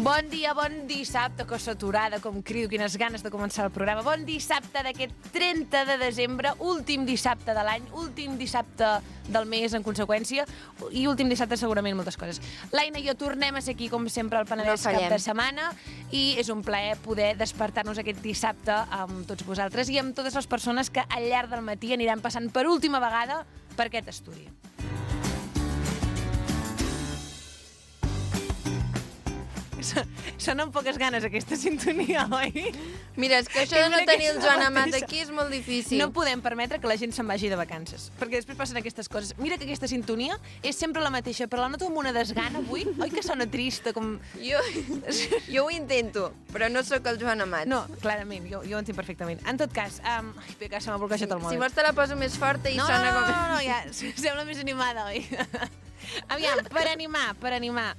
Bon dia, bon dissabte, que saturada, com crido, quines ganes de començar el programa. Bon dissabte d'aquest 30 de desembre, últim dissabte de l'any, últim dissabte del mes, en conseqüència, i últim dissabte segurament moltes coses. L'Aina i jo tornem a ser aquí, com sempre, al Penedès cap de setmana, i és un plaer poder despertar-nos aquest dissabte amb tots vosaltres i amb totes les persones que al llarg del matí aniran passant per última vegada per aquest estudi. Sona amb poques ganes aquesta sintonia, oi? Mira, és que això de no tenir el Joan Amat aquí és molt difícil. No podem permetre que la gent se'n vagi de vacances, perquè després passen aquestes coses. Mira que aquesta sintonia és sempre la mateixa, però la noto amb una desgana avui. Oi que sona trista? Com... Jo ho intento, però no sóc el Joan Amat. No, clarament, jo ho entenc perfectament. En tot cas, que se m'ha bloquejat el mòbil. Si vols te la poso més forta i sona com... No, ja, sembla més animada, oi? Aviam, per animar.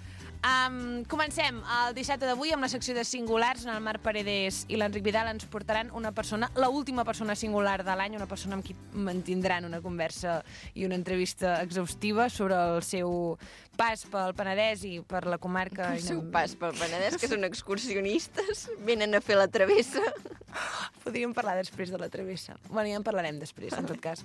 Comencem el dissabte d'avui amb la secció de singulars, on el Marc Paredes i l'Enric Vidal ens portaran una persona, l'última persona singular de l'any, una persona amb qui mantindran una conversa i una entrevista exhaustiva sobre el seu pas pel Penedès i per la comarca. El seu pas pel Penedès, que són excursionistes, venen a fer la travessa. Podríem parlar després de la travessa. Bueno, ja en parlarem després, en tot cas.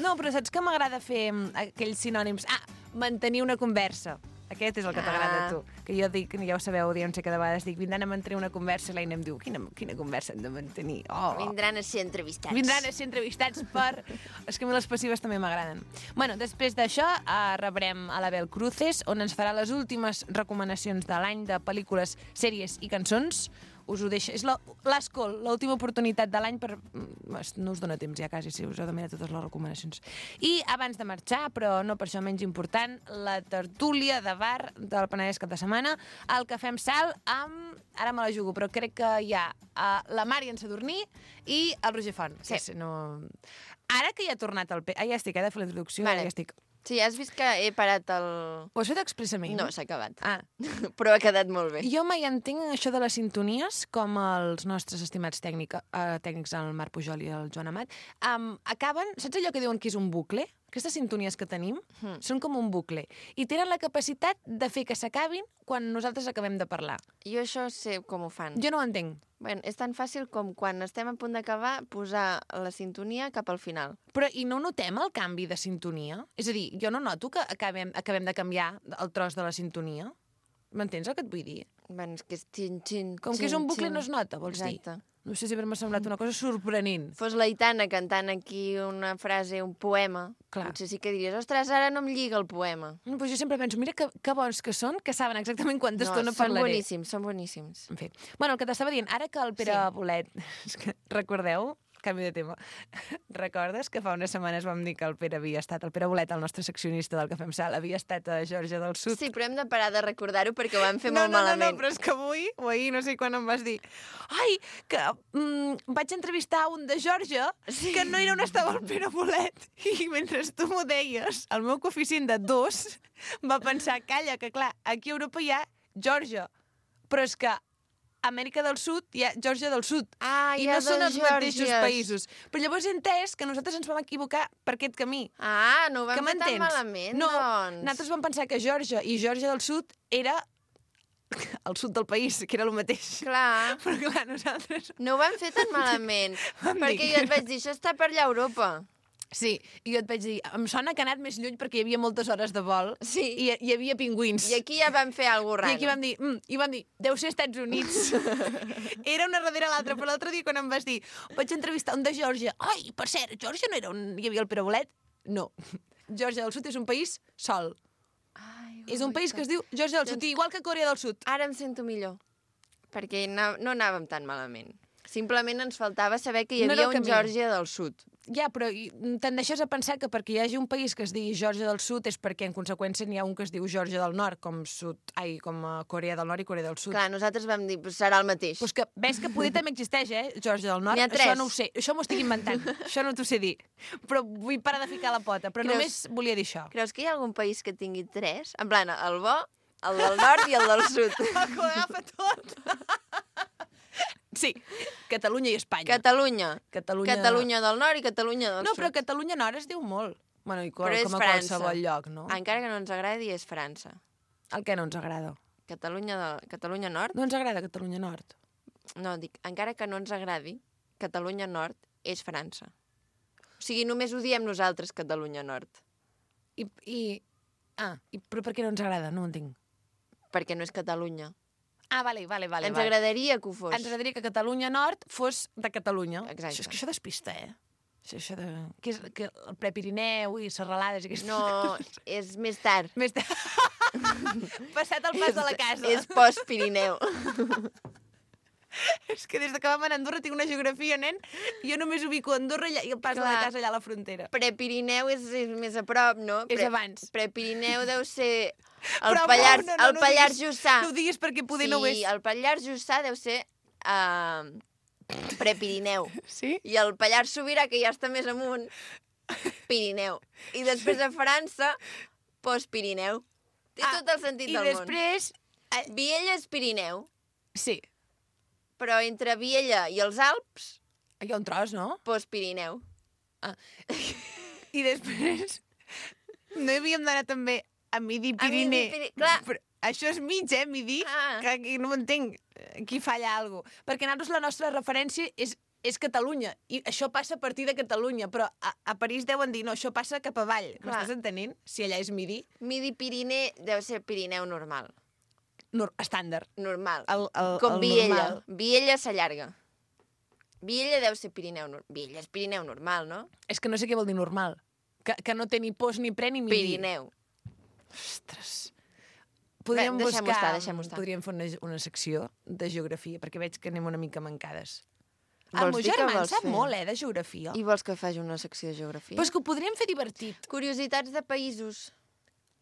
No, però saps que m'agrada fer aquells sinònims? Mantenir una conversa. Aquest és el que t'agrada a tu. Que jo dic, ja ho sabeu, no sé, cada vegada dic, vindran a mantenir una conversa, i l'Aina em diu, quina conversa hem de mantenir? Vindran a ser entrevistats. Vindran a ser entrevistats per... És que a mi les passives també m'agraden. Bueno, després d'això rebrem a l'Abel Cruces, on ens farà les últimes recomanacions de l'any de pel·lícules, sèries i cançons. Us ho deixo. És l'Escol, l'última oportunitat de l'any per... No us dona temps ja quasi, si us heu de mirar totes les recomanacions. I abans de marxar, però no per això menys important, la tertúlia de bar del Penedès cap de setmana, el Cafè amb Sal amb... Ara me la jugo, però crec que hi ha la Mària en Sadurní i el Roger Font. Sí. No... Ara que ja ha tornat el... Ja estic, de fer la introducció, vale. Ja estic. Sí, has vist que he parat el... Ho has fet expressament? No, s'ha acabat. Però ha quedat molt bé. Jo mai entenc això de les sintonies, com els nostres estimats tècnics, el Marc Pujol i el Joan Amat, acaben... Saps allò que diuen que és un bucle? Aquestes sintonies que tenim són com un bucle. I tenen la capacitat de fer que s'acabin quan nosaltres acabem de parlar. Jo això sé com ho fan. Jo no ho entenc. Bueno, és tan fàcil com quan estem a punt d'acabar posar la sintonia cap al final. Però i no notem el canvi de sintonia? És a dir, jo no noto que acabem de canviar el tros de la sintonia. M'entens el que et vull dir? Bueno, és que és xin. Com que és un bucle no es nota, vols dir? Exacte. No sé si m'ha semblat una cosa sorprenent. Fos l'Aitana cantant aquí una frase, un poema, clar. Potser sí que diries, ostres, ara no em lliga el poema. No, però jo sempre penso, mira que bons que són, que saben exactament quanta estona parlaré. Són boníssims. En fi. Bueno, el que t'estava dient, ara que el Pere Bolet... Recordeu? Canvi de tema. Recordes que fa unes setmanes vam dir que el Pere Bolet, el nostre seccionista del Cafè amb Sal, havia estat a Geòrgia del Sud? Sí, però hem de parar de recordar-ho perquè ho vam fer molt malament. No, però és que avui, o ahir, no sé quan em vas dir, ai, que vaig entrevistar un de Geòrgia que no era on estava el Pere Bolet. I mentre tu m'ho deies, el meu coeficient de 2 va pensar, calla, que clar, aquí a Europa hi ha Geòrgia, però és que a Amèrica del Sud hi ha Geòrgia del Sud. I no són els mateixos països. Però llavors he entès que nosaltres ens vam equivocar per aquest camí. No ho vam fer tan malament, no, doncs. Nosaltres vam pensar que Geòrgia i Geòrgia del Sud era el sud del país, que era el mateix. Clar. Però clar, nosaltres... No ho vam fer tan malament. Perquè jo et vaig dir, això està per allà a Europa. Sí, i jo et vaig dir, em sona que ha anat més lluny perquè hi havia moltes hores de vol i hi havia pingüins. I aquí ja vam fer alguna cosa raro. I vam dir, deu ser Estats Units. Era una darrere l'altra, però l'altre dia quan em vas dir, vaig entrevistar un de Geòrgia. Ai, per cert, Geòrgia no era on hi havia el Pere Bolet? No. Geòrgia del Sud és un país sol. És un país que es diu Geòrgia del Sud, igual que Corea del Sud. Ara em sento millor, perquè no anàvem tan malament. Simplement ens faltava saber que hi havia un Geòrgia del Sud. Ja, però tendeixes a pensar que perquè hi hagi un país que es digui Geòrgia del Sud és perquè, en conseqüència, n'hi ha un que es diu Geòrgia del Nord, com Corea del Nord i Corea del Sud. Clar, nosaltres vam dir, serà el mateix. Pues que ves que poder també existeix, Geòrgia del Nord. N'hi ha 3. Això no ho sé, això m'ho estic inventant. Això no t'ho sé dir. Però vull parar de ficar la pota. Però només volia dir això. Creus que hi ha algun país que tingui 3? En plan, el bo, el del nord i el del sud. El que ho agafa tot. Sí, Catalunya i Espanya. Catalunya del nord i Catalunya del sud. No, però Catalunya Nord es diu molt. Bueno, i com a França. qualsevol lloc, no? Encara que no ens agradi, és França. El que no ens agrada? Catalunya Nord... No ens agrada Catalunya Nord. No, dic, encara que no ens agradi, Catalunya Nord és França. O sigui, només ho diem nosaltres, Catalunya Nord. Però per què no ens agrada? No ho entenc. Perquè no és Catalunya. Vale. Ens agradaria que ho fos. Ens agradaria que Catalunya Nord fos de Catalunya. Exacte. És que això despista, Això de... Que el Prepirineu i serralades i aquestes No, és més tard. Més tard. Passat el pas de la casa. És post-Pirineu. És que des que vam anar a Andorra tinc una geografia, nen. Jo només ubico Andorra i el pas de la casa allà a la frontera. Prepirineu és més a prop, no? És abans. Prepirineu deu ser el Pallars Jussà. No ho diguis perquè poder no ho és. Sí, el Pallars Jussà deu ser Prepirineu. Sí? I el Pallars Sobirà, que ja està més amunt, Pirineu. I després a França, post-Pirineu. Té tot el sentit del món. I després... Viella és Pirineu. Sí. Però entre Viella i els Alps... Hi ha un tros, no? Post-Pirineu. I després... No hi havíem d'anar també a Midi-Pirineu. Clar. Però això és mig, Midi? Que aquí no m'entenc. Aquí falla alguna cosa. Perquè nosaltres la nostra referència és Catalunya. I això passa a partir de Catalunya. Però a París deuen dir, no, això passa cap avall. M'estàs entenent? Si allà és Midi. Midi-Pirineu deu ser Pirineu normal. Estàndard. Normal. Com Viella. Normal. Viella s'allarga. Viella deu ser Pirineu normal. Viella és Pirineu normal, no? És que no sé què vol dir normal. Que no té ni post, ni pre, ni midi. Pirineu. Ostres. Podríem buscar... Deixem-ho estar. Podríem fer una secció de geografia, perquè veig que anem una mica mancades. El meu germà en sap molt, de geografia. I vols que faci una secció de geografia? Però és que ho podríem fer divertit. Curiositats de països.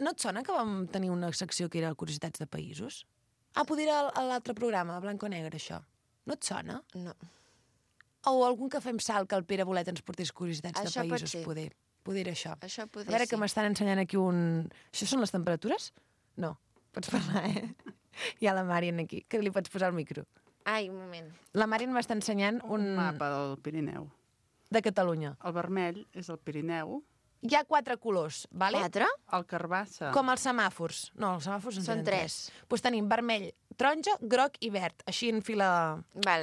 No et sona que vam tenir una secció que era Curiositats de països? Poder era a l'altre programa, blanc o negre, això. No et sona? No. O algun que fem salt que el Pere Bolet ens portés Curiositats de països, poder. Poder era això. Això poder, a veure que m'estan ensenyant aquí un... Això són les temperatures? No. Pots parlar, Hi ha la Marian aquí, que li pots posar el micro. Ai, un moment. La Marian m'està ensenyant un mapa del Pirineu. De Catalunya. El vermell és el Pirineu. Hi ha 4 colors, vale? 4? El carbassa. Com els semàfors. No, els semàfors en Són tenen 3. Doncs tenim vermell, taronja, groc i verd, així en fila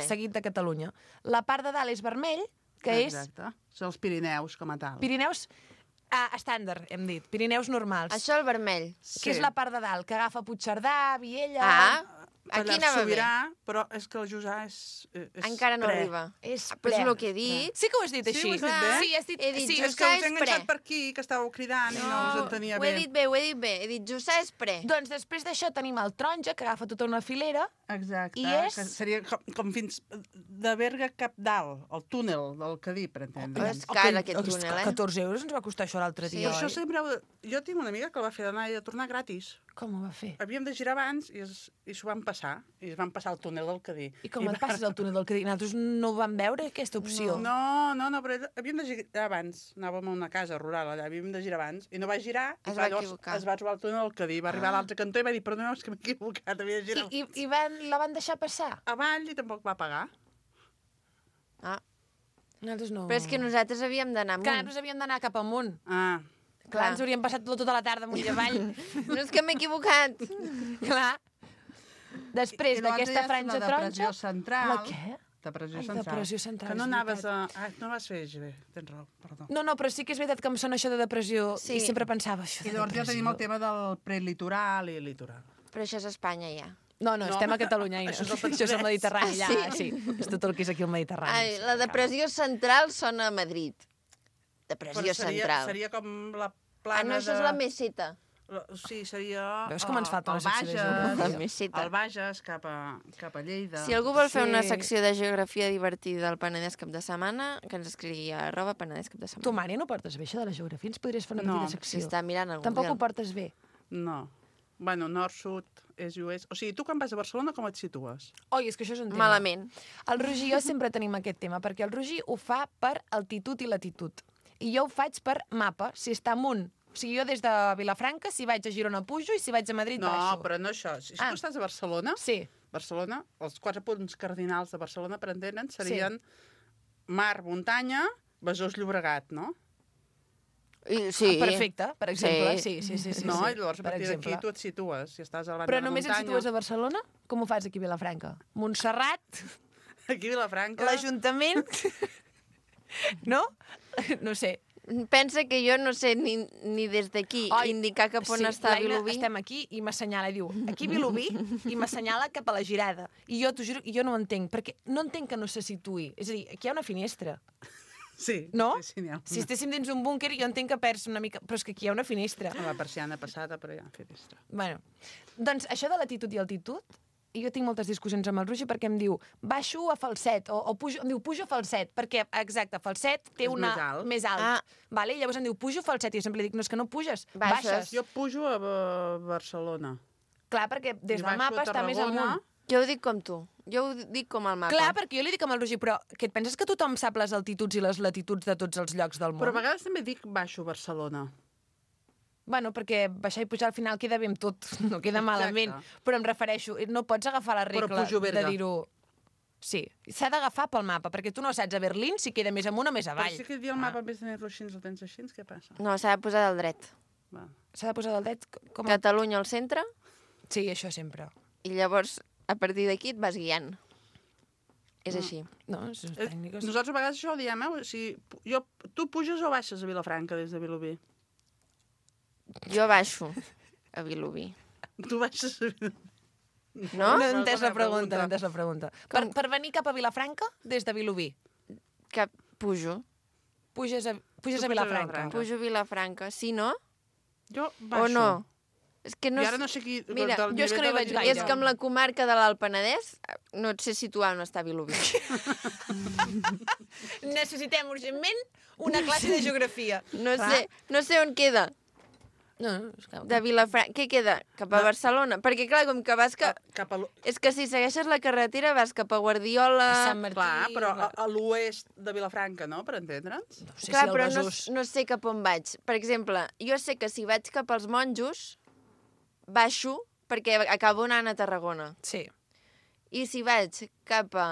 seguit de Catalunya. La part de dalt és vermell, que Exacte. Són els Pirineus com a tal. Pirineus estàndard, hem dit. Pirineus normals. Això el vermell. Que és la part de dalt, que agafa Puigcerdà, Viella... Aquí anava Sobirà, però és que el Jussà és encara no arriba. És ple. Però és el que he dit. Sí que ho has dit així. Sí, ho has dit bé. Sí, has dit... He dit sí, és que us he enganxat per aquí, que estàveu cridant i no us entenia bé. Ho he dit bé. He dit Jussà és pre. Doncs després d'això tenim el taronja, que agafa tota una filera. Exacte. I és... Que seria com fins de Berga cap dalt, el túnel del Cadí, per entendre. És car aquest túnel, 14 euros ens va costar això l'altre dia, Això oi? sempre... Jo tinc una amiga que el va fer d'anar i de tornar gratis. Com ho va fer? Havíem de girar abans i s'ho van passar. I es van passar el túnel del Cadí. I com et passes el túnel del Cadí? Nosaltres no vam veure aquesta opció. No, però havíem de girar abans. Anàvem a una casa rural allà, havíem de girar abans. I no va girar, es va equivocar. Es va trobar el túnel del Cadí. Va arribar a l'altre cantó i va dir, perdoneu, és que m'he equivocat, havia de girar. I la van deixar passar? Avall i tampoc va pagar. Nosaltres no... Però és que nosaltres havíem d'anar amunt. Que nosaltres havíem d'anar cap amunt. Clar, ens hauríem passat tota la tarda amunt i avall. No és que m'he equivocat. Clar. Després d'aquesta franja taronja... Depressió central. La què? Depressió central. Depressió central, que no és anaves a... no vas fer bé, tens raó, perdó. No, però sí que és veritat que em sona això de depressió i sempre pensava això de I llavors depressió. ja tenim el tema del prelitoral i litoral. Però això és Espanya, ja. No, estem a Catalunya. Això és el Això és el Mediterrani, Ah, allà. Sí, és tot el que és aquí el Mediterrani. Ai, la depressió central sona a Madrid. Depressió central. Seria com la plana no, això és la meseta. Sí, seria... Veus com ens falta una secció de La geografia? meseta. El Bages cap a Lleida. Si algú vol fer una secció de geografia divertida al Penedès cap de setmana, que ens escrigui a @Penedès cap de setmana. Tu, Mària, no portes bé això de la geografia? Ens podries fer una petita secció? S'està mirant el Tampoc Google. ho portes bé. No. Bueno, nord, sud, est i oest. O sigui, tu quan vas a Barcelona com et situes? Oi, és que això és un tema. Malament. El Roger i jo sempre tenim aquest tema, perquè el Roger ho fa per altitud i latitud. I jo ho faig per mapa, si està amunt. O sigui, jo des de Vilafranca, si vaig a Girona pujo i si vaig a Madrid baixo. No, però no això. Si tu estàs a Barcelona, sí. Barcelona, els 4 punts cardinals de Barcelona, per entendre'n, serien mar, muntanya, Besòs, Llobregat, no? Sí. Perfecte, per exemple. Sí. No, i llavors a per partir d'aquí exemple. tu et situes. Si estàs a la banda Però de la només et muntanya... situes a Barcelona? Com ho fas aquí a Vilafranca? Montserrat, Aquí a Vilafranca... l'Ajuntament... No? No sé. Pensa que jo no sé ni des d'aquí indicar cap on està l'Aina, Vilobí. estem aquí i m'assenyala, diu, aquí Vilobí, i m'assenyala cap a la girada. I jo t'ho juro, jo no ho entenc, perquè no entenc que no se situï. És a dir, aquí hi ha una finestra. Sí, No? sí, n'hi ha una. Si estéssim dins un búnquer, jo entenc que perds una mica... Però és que aquí hi ha una finestra. A la persiana passada, però hi ha finestra. Bueno, doncs això de latitud i altitud, jo tinc moltes discussions amb el Roger perquè em diu baixo a falset, o pujo, em diu pujo a falset, perquè, exacte, falset té És una... més alt. Vale? I llavors em diu pujo a falset, i jo sempre li dic, no, és que no puges, Baixes. baixes. Jo pujo a Barcelona. Clar, perquè des I del baixo mapa a està més Tarragona. amunt. Jo ho dic com tu. Jo ho dic com el mapa. Clar, perquè jo li dic amb el Roger, però que et penses que tothom sap les altituds i les latituds de tots els llocs del món? Però a vegades també dic baixo a Barcelona. Bueno, perquè baixar i pujar al final queda bé amb tot, no queda malament. Però em refereixo, no pots agafar la regla pujo a Berga. de dir-ho... Sí, s'ha d'agafar pel mapa, perquè tu no saps a Berlín si queda més amunt o més Però avall. si aquest dia el mapa, en vez de tenir-lo així, el tens així, què passa? No, s'ha de posar del dret. Va. S'ha de posar del dit com... Catalunya al centre, Sí, això sempre. i llavors, a partir d'aquí, et vas guiant. És així. No, són tècniques. Nosaltres a vegades això ho diem, si tu puges o baixes a Vilafranca des de Vilobí? Jo baixo a Vilobí. Tu baixes a Vilobí. No? No he entès la Bona pregunta, pregunta. no he entès la pregunta. Per venir cap a Vilafranca, des de Vilobí, Que pujo. puges a puges a Vilafranca. Vilafranca. Pujo a Vilafranca. Sí, no? Jo baixo. O no? És que no... I ara no sé qui... Mira, del jo és que no hi nivell de vaig la- gaire. És que amb la comarca de l'Alt Penedès no et sé situar on està Vilobí. Necessitem urgentment una classe de geografia. No Clar. sé on queda. No, és que... De Vilafranca. Què queda? Cap a Barcelona? Perquè, clar, com que vas... Cap a És que si segueixes la carretera vas cap a Guardiola... Sant Martí... Clar, però a l'oest de Vilafranca, no?, per entendre'ns. No sé Clar, si el però Besòs... no sé cap on vaig. Per exemple, jo sé que si vaig cap als monjos, baixo perquè acabo anant a Tarragona. Sí. I si vaig cap a...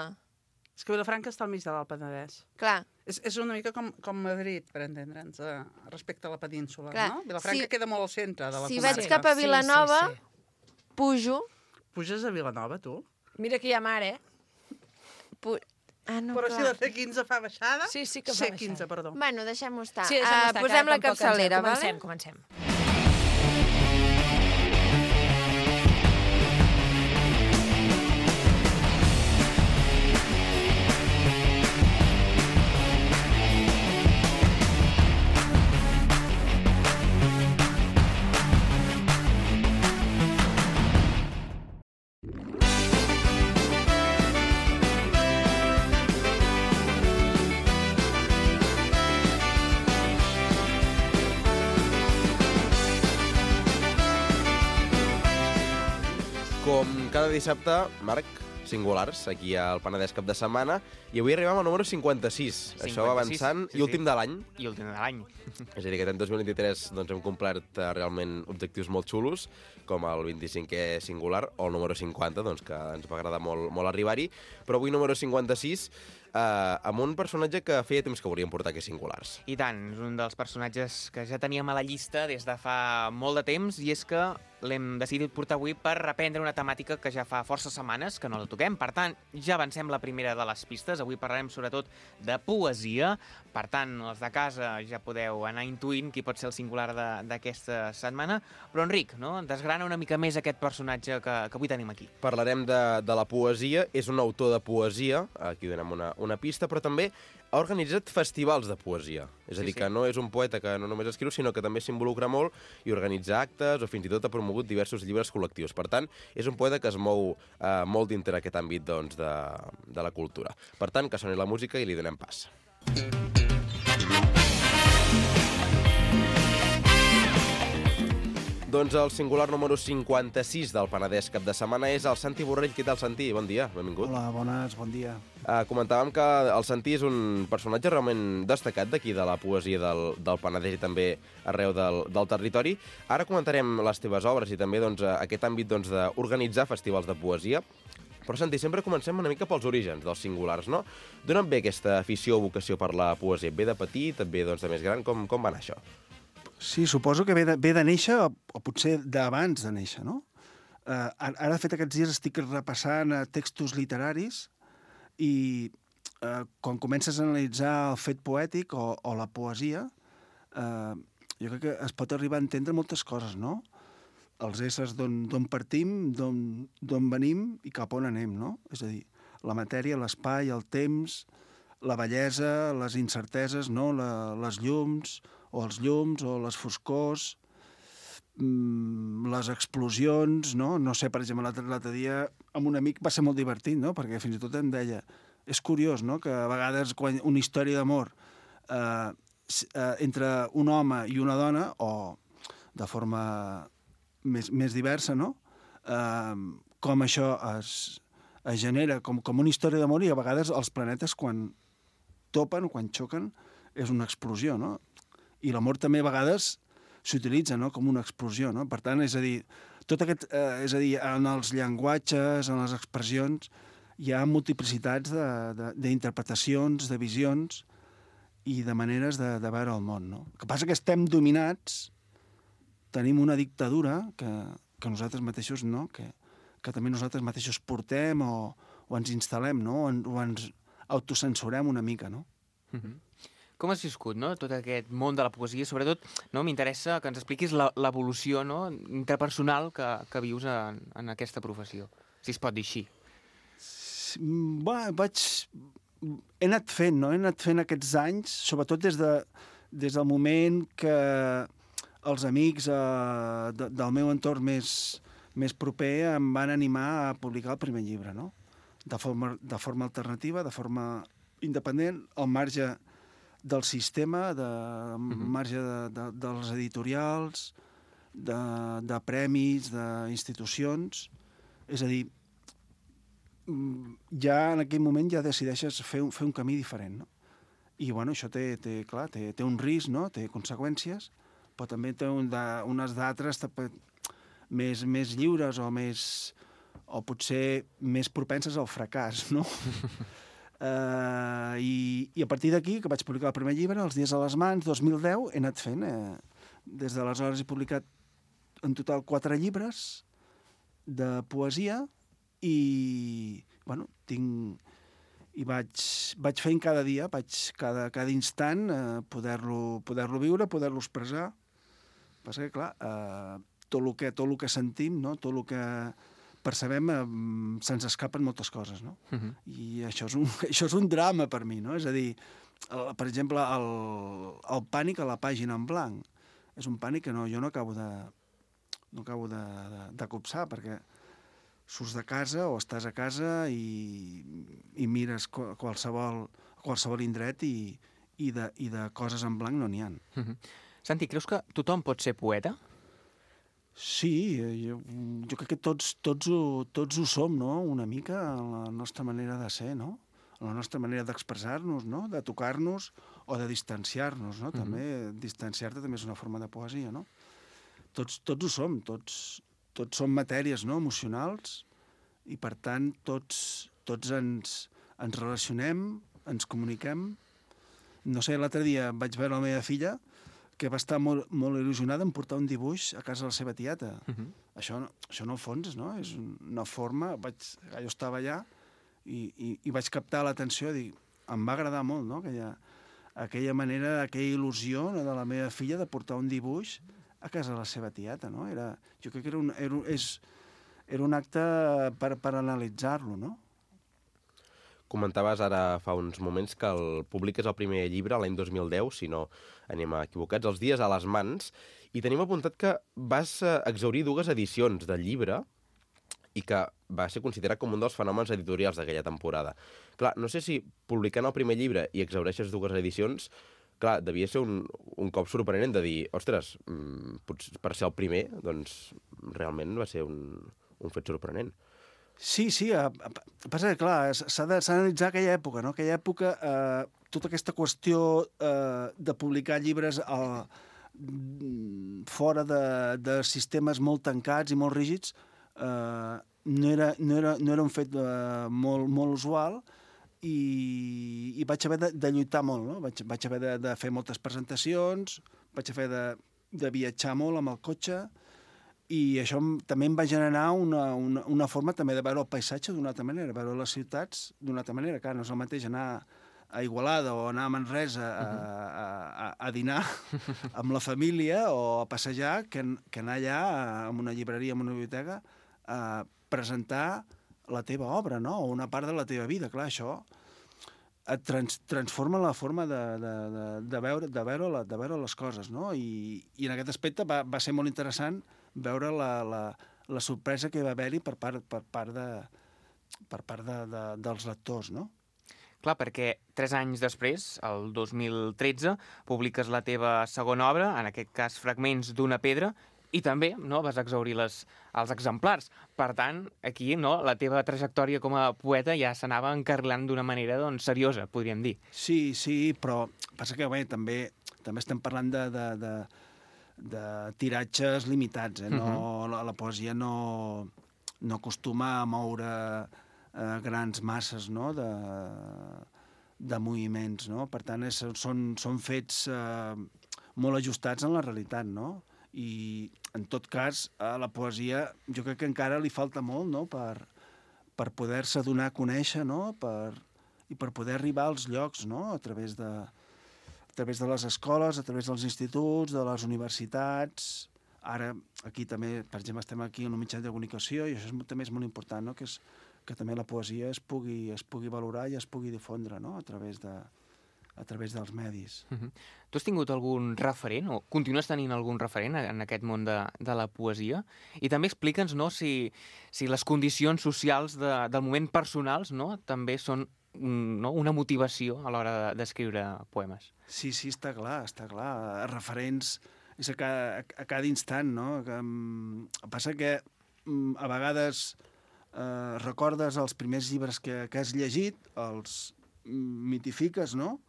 És que Vilafranca està al mig de l'Alt Penedès. Clar, És una mica com Madrid, per entendre'ns, respecte a la península, Clar, no? Vilafranca queda molt al centre de la si comarca. vaig cap a Vilanova, pujo... Puges a Vilanova, tu? Mira que hi ha mar, Ah, no, Però si clar. la C15 fa baixada... Sí, sí que fa C15, baixada. perdó. Bueno, deixem-ho estar. Sí, deixem estar, posem que la tampoc ens- capçalera, vale? Comencem. Com cada dissabte, Marc, singulars, aquí al Penedès Cap de Setmana, i avui arribem al número 56. Això va 56, avançant, sí, i últim de l'any. I últim de l'any. És a dir, que aquest any 2023 doncs, hem complert realment objectius molt xulos, com el 25è singular, o el número 50, doncs, que ens va agradar molt arribar-hi, però avui número 56, amb un personatge que feia temps que volíem portar aquí singulars. I tant, és un dels personatges que ja teníem a la llista des de fa molt de temps, i és que l'hem decidit portar avui per reprendre una temàtica que ja fa força setmanes que no la toquem. Per tant, ja avancem la primera de les pistes. Avui parlarem sobretot de poesia. Per tant, els de casa ja podeu anar intuint qui pot ser el singular d'aquesta setmana. Però, Enric, no? Desgrana una mica més aquest personatge que avui tenim aquí. Parlarem de la poesia. És un autor de poesia, aquí donem una pista, però també ha organitzat festivals de poesia. És a dir, que no és un poeta que no només escriu, sinó que també s'involucra molt i organitza actes o fins i tot ha promogut diversos llibres col·lectius. Per tant, és un poeta que es mou molt dintre aquest àmbit doncs, de la cultura. Per tant, que soni la música i li donem pas. Doncs el singular número 56 del Penedès Cap de Setmana és el Santi Borrell. Què tal, Santi? Bon dia, benvingut. Hola, bones, bon dia. Comentàvem que el Santi és un personatge realment destacat d'aquí de la poesia del Penedès i també arreu del territori. Ara comentarem les teves obres i també doncs, aquest àmbit doncs, d'organitzar festivals de poesia. Però, Santi, sempre comencem una mica pels orígens dels singulars, no? D'on et ve aquesta afició o vocació per la poesia? Et ve de petit, et ve doncs, de més gran? Com va anar això? Sí, suposo que ve de néixer, o potser d'abans de néixer, no? Ara, de fet, aquests dies estic repassant textos literaris i quan comences a analitzar el fet poètic o la poesia, jo crec que es pot arribar a entendre moltes coses, no? Els éssers d'on partim, d'on venim i cap on anem, no? És a dir, la matèria, l'espai, el temps, la bellesa, les incerteses, no? Les llums, o els llums, o les foscors, les explosions, no? No sé, per exemple, l'altre dia amb un amic va ser molt divertit, no? Perquè fins i tot em deia, és curiós, no?, que a vegades quan una història d'amor entre un home i una dona, o de forma més diversa, no?, com això es genera com una història d'amor, i a vegades els planetes quan topen o quan xoquen és una explosió, no? I l'amor també a vegades s'utilitza, no?, com una explosió, no? Per tant, és a dir, en els llenguatges, en les expressions, hi ha multiplicitats d'interpretacions, de visions i de maneres de veure el món, no? El que passa que estem dominats, tenim una dictadura que nosaltres mateixos, no?, que també nosaltres mateixos portem o ens instal·lem, no?, o ens autocensurem una mica, no? Com has viscut, no?, tot aquest món de la poesia? Sobretot, no?, m'interessa que ens expliquis l'evolució, no?, interpersonal que vius en aquesta professió, si es pot dir així. He anat fent, no? He anat fent aquests anys, sobretot des del moment que els amics del meu entorn més proper em van animar a publicar el primer llibre, no? De forma alternativa, de forma independent, al marge del sistema, al marge dels editorials, de premis, d'institucions. És a dir, ja en aquell moment ja decideixes fer un camí diferent, no? I, bueno, això té un risc, no? Té conseqüències, però també té unes d'altres més lliures o potser més propenses al fracàs, no? I a partir d'aquí, que vaig publicar el primer llibre, Els dies a les mans, 2010, he anat fent. Des d'aleshores he publicat en total 4 llibres de poesia i, bueno, vaig fent cada dia, cada instant poder-lo viure, poder-lo expressar. Passa que, clar, tot el que sentim, no?, tot el que percebem, se'ns escapen moltes coses, no? I això és un drama per mi, no? És a dir, per exemple, el pànic a la pàgina en blanc. És un pànic que jo no acabo de copsar, perquè surts de casa o estàs a casa i mires qualsevol indret i de coses en blanc no n'hi ha. Santi, creus que tothom pot ser poeta? Sí, jo crec que tots ho som, no?, una mica, en la nostra manera de ser, no?, en la nostra manera d'expressar-nos, no?, de tocar-nos o de distanciar-nos, no? També distanciar-te també és una forma de poesia, no? Tots ho som, tots som matèries, no?, emocionals, i per tant tots ens relacionem, ens comuniquem. No sé, l'altre dia vaig veure la meva filla que va estar molt il·lusionada en portar un dibuix a casa de la seva tieta. Això en el fons, no?, és una forma... Jo estava allà i vaig captar l'atenció i em va agradar molt, no?, aquella manera, aquella il·lusió, no?, de la meva filla de portar un dibuix a casa de la seva tieta, no? Jo crec que era un acte per analitzar-lo, no? Comentaves ara fa uns moments que publiques el primer llibre l'any 2010, si no anem equivocats, Els dies a les mans, i tenim apuntat que vas exhaurir 2 edicions del llibre i que va ser considerat com un dels fenòmens editorials d'aquella temporada. Clar, no sé si publicant el primer llibre i exhaureixes 2 edicions, clar, devia ser un cop sorprenent de dir, ostres, per ser el primer, doncs realment va ser un fet sorprenent. Sí, passa que, clar, s'ha d'analitzar aquella època, no? Aquella època, tota aquesta qüestió de publicar llibres fora de sistemes molt tancats i molt rígids no era un fet molt usual i vaig haver de lluitar molt, no? Vaig haver de fer moltes presentacions, vaig haver de viatjar molt amb el cotxe, i això també em va generar una forma també de veure el paisatge d'una altra manera, veure les ciutats d'una altra manera. Clar, no és el mateix anar a Igualada o anar a Manresa a dinar amb la família o a passejar que anar allà a una llibreria, a una biblioteca, a presentar la teva obra, no? O una part de la teva vida. Clar, això et transforma la forma de veure les coses, no? I en aquest aspecte va ser molt interessant veure la sorpresa que va haver-hi per part dels lectors, no? Clar, perquè 3 anys després, el 2013, publiques la teva segona obra, en aquest cas Fragments d'una pedra, i també vas exaurir els exemplars. Per tant, aquí la teva trajectòria com a poeta ja s'anava encarrilant d'una manera seriosa, podríem dir. Sí, però passa que també estem parlant de tiratges limitats. La poesia no acostuma a moure grans masses de moviments. Per tant, són fets molt ajustats en la realitat, no? I, en tot cas, a la poesia jo crec que encara li falta molt per poder-se donar a conèixer, i per poder arribar als llocs, a través de les escoles, a través dels instituts, de les universitats. Ara, aquí també, per exemple, estem aquí en un mitjà de comunicació i això també és molt important, que també la poesia es pugui valorar i es pugui difondre, a través dels medis. Tu has tingut algun referent, o continues tenint algun referent en aquest món de la poesia? I també explica'ns si les condicions socials del moment personals també són una motivació a l'hora d'escriure poemes. Sí, està clar. Referents és a cada instant, no? Passa que a vegades recordes els primers llibres que has llegit, els mitifiques, no?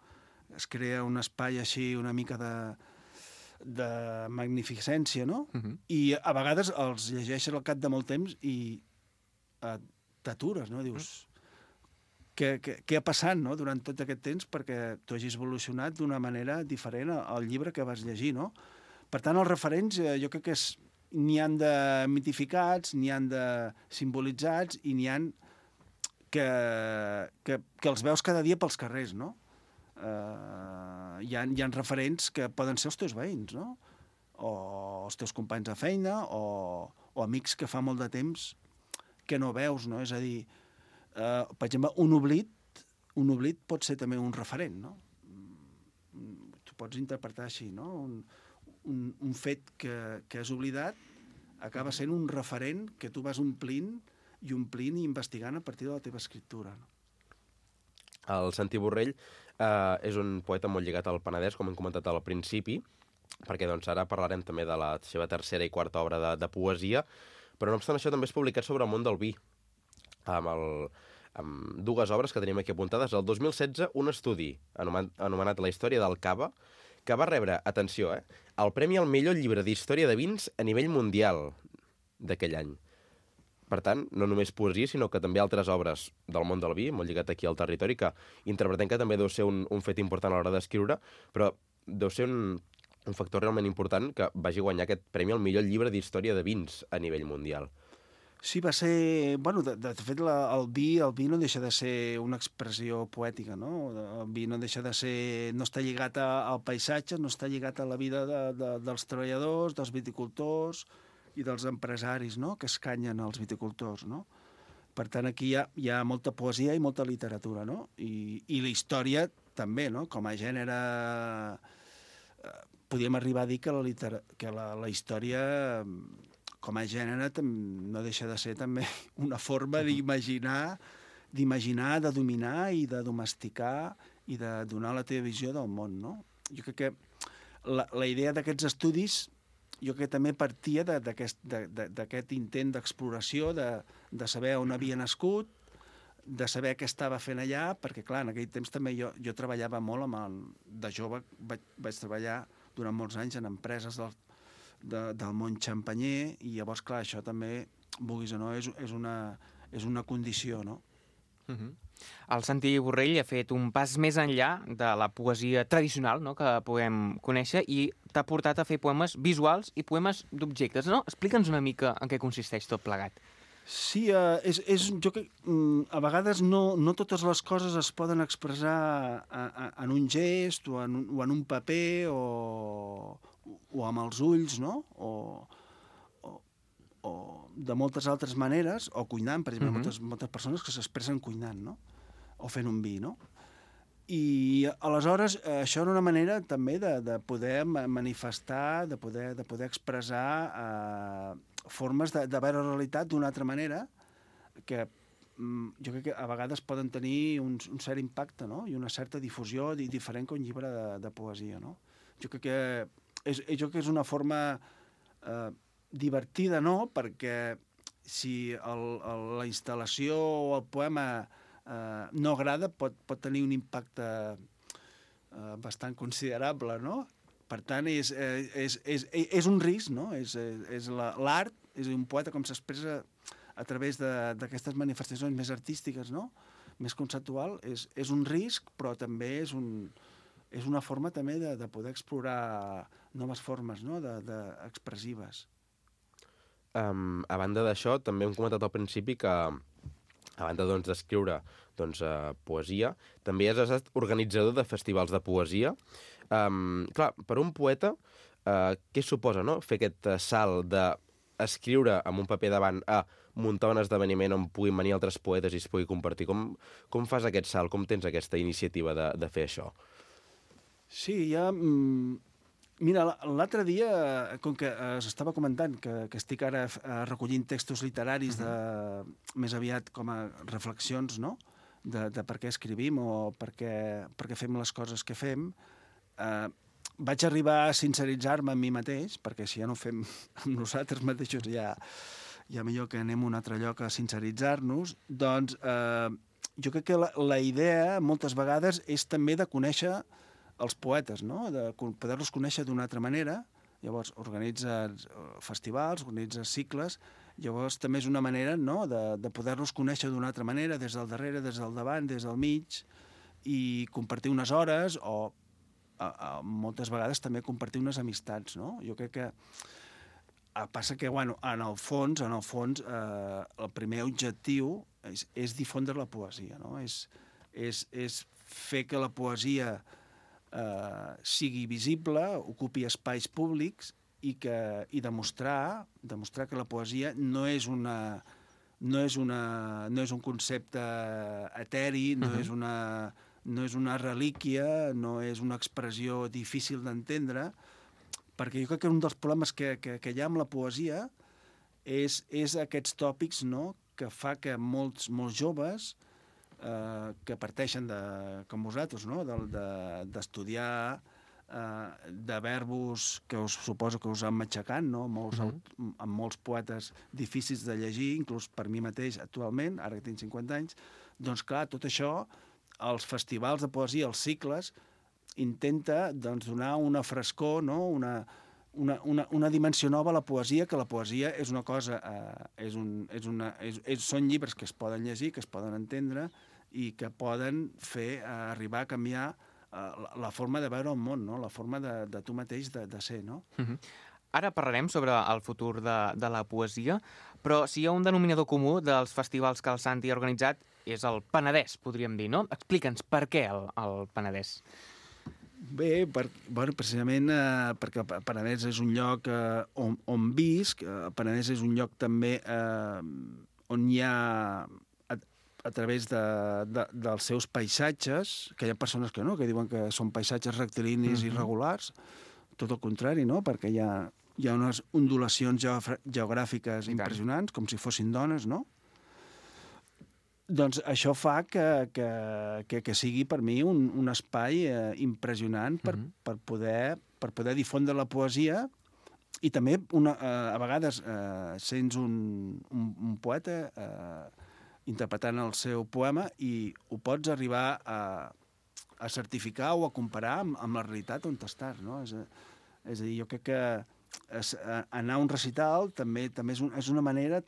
Es crea un espai així una mica de magnificència, no? I a vegades els llegeixes al cap de molt temps i t'atures, no? Dius, què ha passat, no?, durant tot aquest temps perquè tu hagis evolucionat d'una manera diferent al llibre que vas llegir, no? Per tant, els referents jo crec que n'hi han de mitificats, n'hi han de simbolitzats i n'hi han que els veus cada dia pels carrers, no? Hi ha referents que poden ser els teus veïns, no? O els teus companys de feina, o amics que fa molt de temps que no veus, no? És a dir, per exemple, un oblit pot ser també un referent, no? Tu pots interpretar així, no? Un fet que has oblidat acaba sent un referent que tu vas omplint i investigant a partir de la teva escriptura, no? El Santi Borrell és un poeta molt lligat al Penedès, com hem comentat al principi, perquè ara parlarem també de la seva tercera i quarta obra de poesia, però no obstant això també és publicat sobre el món del vi, amb dues obres que tenim aquí apuntades. El 2016, un estudi anomenat La història del cava, que va rebre, atenció, el premi al millor llibre d'història de vins a nivell mundial d'aquell any. Per tant, no només poesia, sinó que també altres obres del món del vi, molt lligat aquí al territori, que interpretem que també deu ser un fet important a l'hora d'escriure, però deu ser un factor realment important que vagi guanyar aquest premi al millor llibre d'història de vins a nivell mundial. Sí, va ser... Bueno, de fet, el vi no deixa de ser una expressió poètica, no? El vi no deixa de ser... No està lligat al paisatge, no està lligat a la vida dels treballadors, dels viticultors i dels empresaris, no?, que escanyen els viticultors, no? Per tant, aquí hi ha molta poesia i molta literatura, no? I la història també, no? Com a gènere... Podríem arribar a dir que la història, com a gènere, no deixa de ser també una forma d'imaginar, de dominar i de domesticar i de donar la teva visió del món, no? Jo crec que la idea d'aquests estudis també partia d'aquest intent d'exploració, de saber on havia nascut, de saber què estava fent allà, perquè, clar, en aquell temps també jo treballava molt de jove, vaig treballar durant molts anys en empreses del món xampanyer, i llavors, clar, això també, vulguis o no, és una condició, no? El Santi Borrell ha fet un pas més enllà de la poesia tradicional, no?, que podem conèixer, i t'ha portat a fer poemes visuals i poemes d'objectes, no? Explica'ns una mica en què consisteix tot plegat. Sí, jo que a vegades no totes les coses es poden expressar en un gest o en un paper o amb els ulls, no? O de moltes altres maneres, o cuinant, per exemple, moltes persones que s'expressen cuinant, no? O fent un vi, no? I aleshores això era una manera també de poder manifestar, de poder expressar formes de veure la realitat d'una altra manera que jo crec que a vegades poden tenir un cert impacte, no? I una certa difusió diferent que un llibre de poesia, no? Jo crec que és una forma divertida, no? Perquè si la instal·lació o el poema no agrada, pot tenir un impacte bastant considerable, no? Per tant, és un risc, no? L'art, és un poeta com s'expressa a través d'aquestes manifestacions més artístiques, no? Més conceptual, és un risc, però també és una forma també de poder explorar noves formes, no? Expressives. A banda d'això, també hem comentat al principi que a banda d'escriure poesia, també has estat organitzador de festivals de poesia. Clar, per un poeta, què suposa, no?, fer aquest salt d'escriure amb un paper davant a muntar un esdeveniment on puguin venir altres poetes i es pugui compartir? Com fas aquest salt? Com tens aquesta iniciativa de fer això? Sí, mira, l'altre dia, com que s'estava comentant que estic ara recollint textos literaris més aviat com a reflexions, no?, de per què escrivim o per què fem les coses que fem, vaig arribar a sinceritzar-me amb mi mateix, perquè si ja no ho fem amb nosaltres mateixos ja millor que anem a un altre lloc a sinceritzar-nos, doncs jo crec que la idea moltes vegades és també de conèixer els poetes, no? De poder-los conèixer d'una altra manera. Llavors organitzes festivals, organitzes cicles, llavors també és una manera, no?, de poder-los conèixer d'una altra manera, des del darrere, des del davant, des del mig, i compartir unes hores o moltes vegades també compartir unes amistats, no? Jo crec que passa que, bueno, en el fons, el primer objectiu és difondre la poesia, no? És fer que la poesia sigui visible, ocupi espais públics i demostrar que la poesia no és un concepte eteri, no és una relíquia, no és una expressió difícil d'entendre, perquè jo crec que un dels problemes que hi ha amb la poesia és aquests tòpics, no?, que fa que molts joves que parteixen com vosaltres, no?, d'estudiar, de verbos que us suposo que us han matxacat, no?, amb molts poetes difícils de llegir, inclús per mi mateix actualment, ara que tinc 50 anys, doncs clar, tot això, els festivals de poesia, els cicles, intenta donar una frescor, no?, una dimensió nova a la poesia, que la poesia és una cosa, són llibres que es poden llegir, que es poden entendre i que poden fer arribar a canviar la forma de veure el món, no?, la forma de tu mateix de ser, no? Ara parlarem sobre el futur de la poesia, però si hi ha un denominador comú dels festivals que el Santi ha organitzat és el Penedès, podríem dir, no? Explica'ns per què el Penedès. Bé, precisament perquè el Penedès és un lloc on visc, el Penedès és un lloc també on hi ha, a través dels seus paisatges, que hi ha persones que no, que diuen que són paisatges rectilinis irregulars, tot el contrari, no?, perquè hi ha unes ondulacions geogràfiques impressionants, com si fossin dones, no? Doncs això fa que sigui per mi un espai impressionant per poder difondre la poesia i també a vegades sents un poeta interpretant el seu poema i ho pots arribar a certificar o a comparar amb la realitat on estàs, no? És a dir, jo crec que anar a un recital també és una manera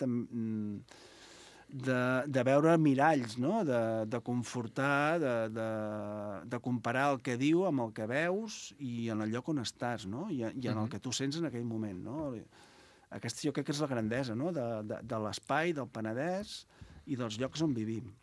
de veure miralls, no? De confortar, de comparar el que diu amb el que veus i en el lloc on estàs, no? I en el que tu sents en aquell moment, no? Aquesta jo crec que és la grandesa, no? De l'espai, del Penedès i dels llocs on vivim.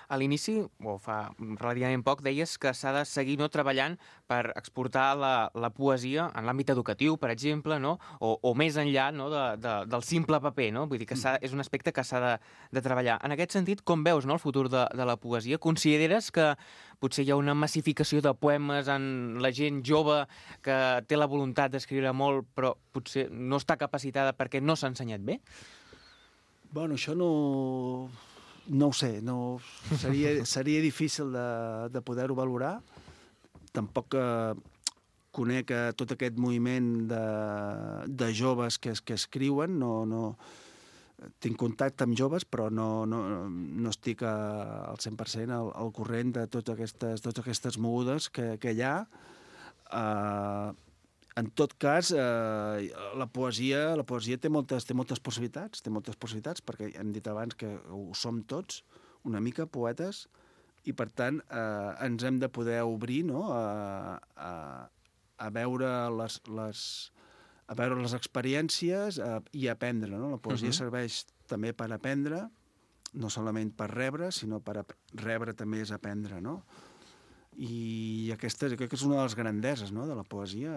A l'inici, o fa relativament poc, deies que s'ha de seguir treballant per exportar la poesia en l'àmbit educatiu, per exemple, no? O més enllà, no? Del simple paper, no? Vull dir que és un aspecte que s'ha de treballar. En aquest sentit, com veus, no, el futur de la poesia? Consideres que potser hi ha una massificació de poemes en la gent jove que té la voluntat d'escriure molt, però potser no està capacitada perquè no s'ha ensenyat bé? Bueno, això no ho sé, seria difícil de poder-ho valorar. Tampoc conec tot aquest moviment de joves que escriuen. Tinc contacte amb joves, però no estic al 100% al corrent de totes aquestes mogudes que hi ha. En tot cas, la poesia té moltes possibilitats, perquè hem dit abans que ho som tots, una mica poetes, i per tant ens hem de poder obrir, no? a veure les experiències i aprendre, no? La poesia serveix també per aprendre, no solament per rebre, sinó per rebre també és aprendre, no? I aquesta crec que és una de les grandeses, no?, de la poesia,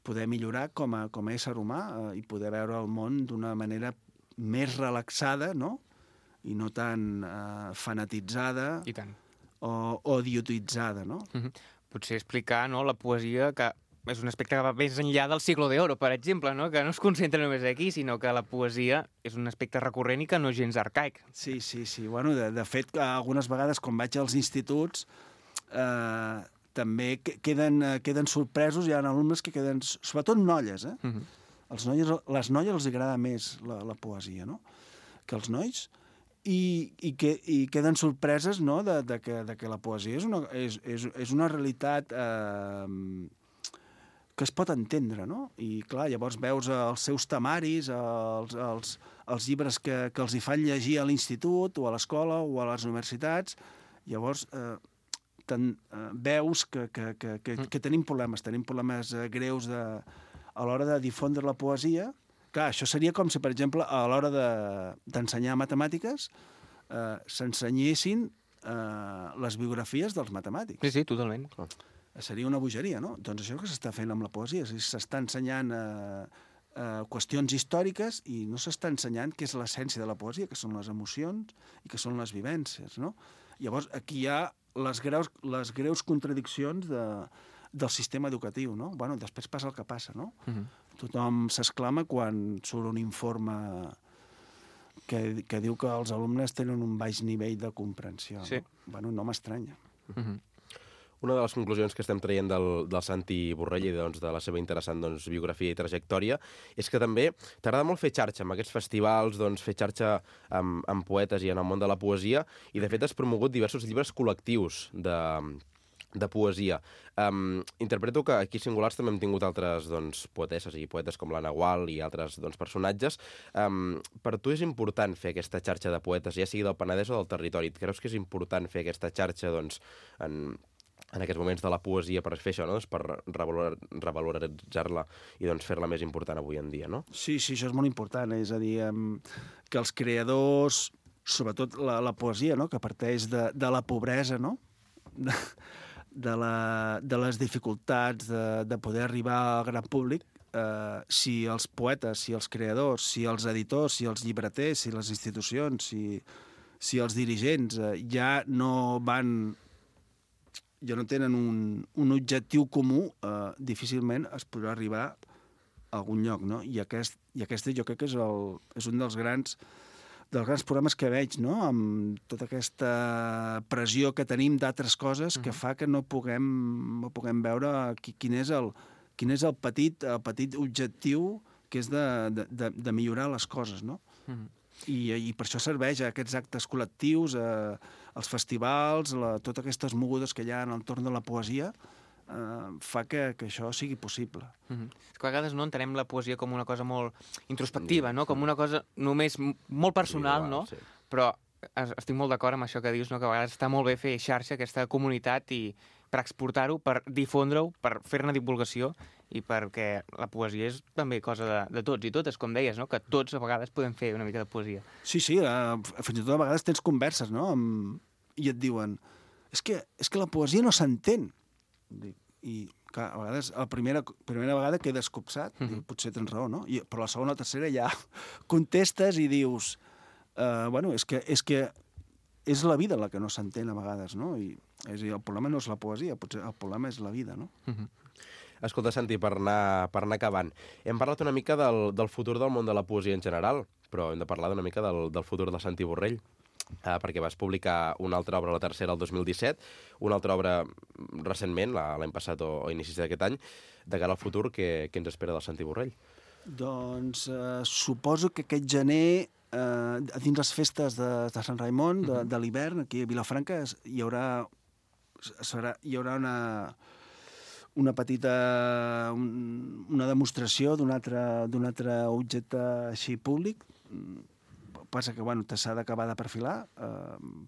poder millorar com a ésser humà i poder veure el món d'una manera més relaxada, no?, i no tan fanatitzada o idiotitzada, no? Potser explicar, no, la poesia, que és un aspecte que va més enllà del siglo de oro, per exemple, no? Que no es concentra només aquí, sinó que la poesia és un aspecte recurrent i que no és gens arcaic. Sí. Bueno, de fet, algunes vegades, quan vaig als instituts, també queden sorpresos. Hi ha alumnes que queden... Sobretot noies, les noies els agrada més la poesia, no?, que els nois, i queden sorpreses, no?, de que la poesia és una realitat que es pot entendre, no? I, clar, llavors veus els seus temaris, els llibres que els hi fan llegir a l'institut o a l'escola o a les universitats. Llavors veus que tenim problemes greus a l'hora de difondre la poesia. Clar, això seria com si, per exemple, a l'hora d'ensenyar matemàtiques s'ensenyessin les biografies dels matemàtics. Sí, totalment. Seria una bogeria, no? Doncs això que s'està fent amb la poesia. S'està ensenyant qüestions històriques i no s'està ensenyant què és l'essència de la poesia, que són les emocions i que són les vivències, no? Llavors, aquí hi ha les greus contradiccions del sistema educatiu, no? Bueno, després passa el que passa, no? Tothom s'exclama quan surt un informe que diu que els alumnes tenen un baix nivell de comprensió. Sí. Bueno, no m'estranya. Una de les conclusions que estem traient del Santi Borrell i de la seva interessant biografia i trajectòria és que també t'agrada molt fer xarxa amb aquests festivals, fer xarxa amb poetes i en el món de la poesia, i de fet has promogut diversos llibres col·lectius de poesia. Interpreto que aquí singulars també hem tingut altres poetesses i poetes com l'Anna Gual i altres personatges. Per tu és important fer aquesta xarxa de poetes, ja sigui del Penedès o del territori? Et creus que és important fer aquesta xarxa en aquests moments de la poesia per fer això, no? Per revaloritzar-la i fer-la més important avui en dia, no? Sí, això és molt important. És a dir, que els creadors, sobretot la poesia, no?, que parteix de la pobresa, no?, de les dificultats de poder arribar al gran públic, si els poetes, si els creadors, si els editors, si els llibreters, si les institucions, si els dirigents ja no tenen un objectiu comú, difícilment es podrà arribar a algun lloc, no? I aquest jo crec que és un dels grans problemes que veig, no?, amb tota aquesta pressió que tenim d'altres coses que fa que no puguem veure quin és el petit objectiu, que és de millorar les coses, no? I per això serveix a aquests actes col·lectius, els festivals, totes aquestes mogudes que hi ha en l'entorn de la poesia, fa que això sigui possible. És que a vegades no entenem la poesia com una cosa molt introspectiva, no? Com una cosa només molt personal, no? Sí. Però estic molt d'acord amb això que dius, no? Que a vegades està molt bé fer xarxa, aquesta comunitat, i per exportar-ho, per difondre-ho, per fer-ne divulgació, i perquè la poesia és també cosa de tots i totes, com deies, no? Que tots a vegades podem fer una mica de poesia. Sí, fins i tot a vegades tens converses, no? I et diuen, és que la poesia no s'entén. I clar, a vegades, la primera vegada quedes copsat, i potser tens raó, no? Però la segona o tercera ja contestes i dius, bueno, és que és la vida la que no s'entén a vegades, no? I és a dir, el problema no és la poesia, potser el problema és la vida, no? Escolta, Santi, per anar acabant, hem parlat una mica del futur del món de la poesia en general, però hem de parlar una mica del futur de Santi Borrell, perquè vas publicar una altra obra, la tercera, el 2017, una altra obra recentment, l'any passat o inicis d'aquest any, de cara al futur, què ens espera del Santi Borrell? Doncs suposo que aquest gener, dins les festes de Sant Raimon, de l'hivern, aquí a Vilafranca, hi haurà una petita una demostració d'un altre objecte així públic. Passa que, bueno, s'ha d'acabar de perfilar.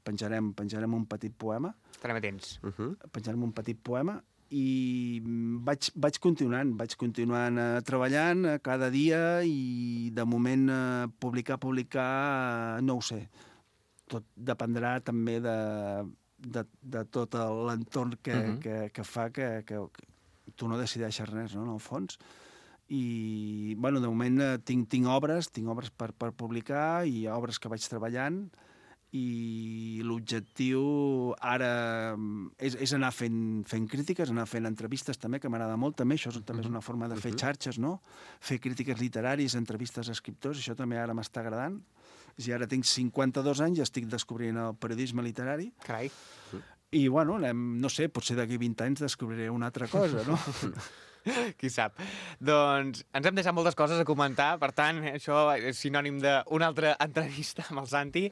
Penjarem un petit poema. Estarem atents. Penjarem un petit poema i vaig continuant treballant cada dia, i de moment publicar, no ho sé. Tot dependrà també de tot l'entorn que fa que tu no decideixes res, no, en el fons. I, bueno, de moment tinc obres per publicar, i obres que vaig treballant, i l'objectiu ara és anar fent crítiques, anar fent entrevistes també, que m'agrada molt també, això també és una forma de fer xarxes, no? Fer crítiques literàries, entrevistes a escriptors, això també ara m'està agradant. I ara tinc 52 anys i estic descobrint el periodisme literari. Carai. I, bueno, no sé, potser d'aquí 20 anys descobriré una altra cosa, no? Qui sap. Doncs ens hem deixat moltes coses a comentar, per tant, això és sinònim d'una altra entrevista amb el Santi,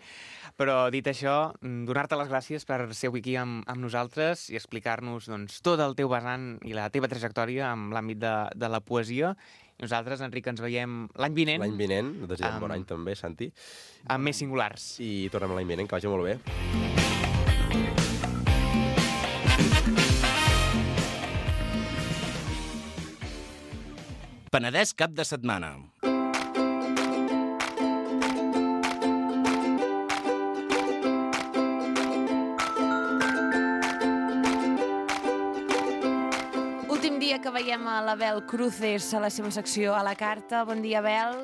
però dit això, donar-te les gràcies per ser avui aquí amb nosaltres i explicar-nos tot el teu vessant i la teva trajectòria en l'àmbit de la poesia. Nosaltres, Enric, ens veiem l'any vinent. L'any vinent, desitgem bon any també, Santi. Amb més singulars. I tornem l'any vinent, que vagi molt bé. Penedès cap de setmana. Últim dia que veiem a l'Abel Cruces a la seva secció a la carta. Bon dia, Abel.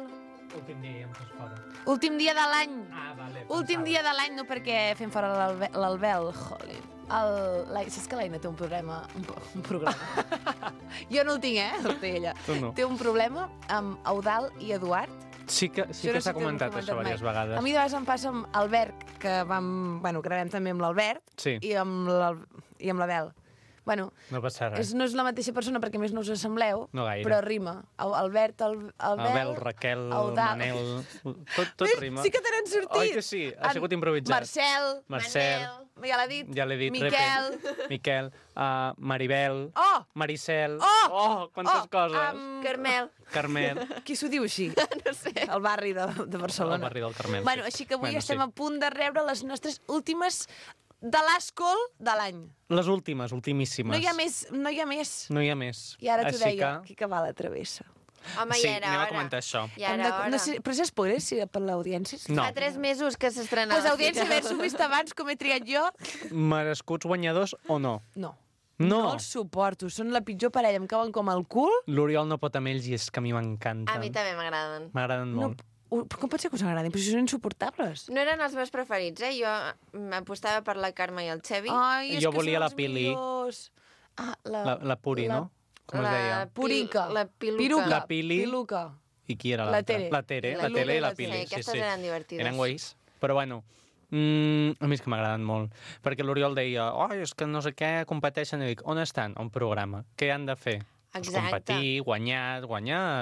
Últim dia, ja em fas fora. Últim dia de l'any. Ah, vale. Últim dia de l'any, no perquè fem fora l'Albel. Jolín. Saps que l'Aina té un problema? Un programa. Jo no el tinc, el té ella. Tu no. Té un problema amb Eudald i Eduard. Sí que s'ha comentat això diverses vegades. A mi de vegades em passa amb Albert, que gravem també amb l'Albert, sí, i amb l'Abel. Bueno, no passa res. No és la mateixa persona perquè més no us assembleu, no gaire, però rima. Albert, Abel, Raquel, Manel... Tot rima. Sí que te n'han sortit. Oi que sí? Ha sigut improvisat. Marcel. Ja l'ha dit. Ja l'he dit. Miquel. Maribel. Maricel. Quantes coses. Carmel. Qui s'ho diu així? No sé. El barri de Barcelona. El barri del Carmel. Bueno, així que avui estem a punt de rebre les nostres últimes de l'Ascol de l'any. Les últimes, ultimíssimes. No hi ha més. No hi ha més. I ara t'ho deia, que va la travessa. Home, sí, ja era hora. anem a comentar això. Ja era hora. No sé, però és spoiler, per l'audiència? No. Fa 3 mesos que s'estrenava. Pues audiència, haver-s'ho vist abans, com he triat jo. Merescuts guanyadors o no? No. No els suporto, són la pitjor parella, em cauen com el cul. L'Oriol no pot amb ells i és que a mi m'encanten. A mi també m'agraden. M'agraden molt. Com pot ser que us agradin? Però si són insuportables. No eren els meus preferits, Jo m'apostava per la Carme i el Xevi. Ai, és jo que volia són la els Pili. millors. La Puri, no? Com es deia? Purica. La Piluca. La Pili. Piluca. I qui era La l'altra? Tere. La Tere i la Pili. Sí, aquestes eren divertides. Eren guais. Però bueno, a mi és que m'agraden molt. Perquè l'Oriol deia, és que no sé què competeixen. I dic, on estan? Un programa. Què han de fer? Exacte. competir, guanyar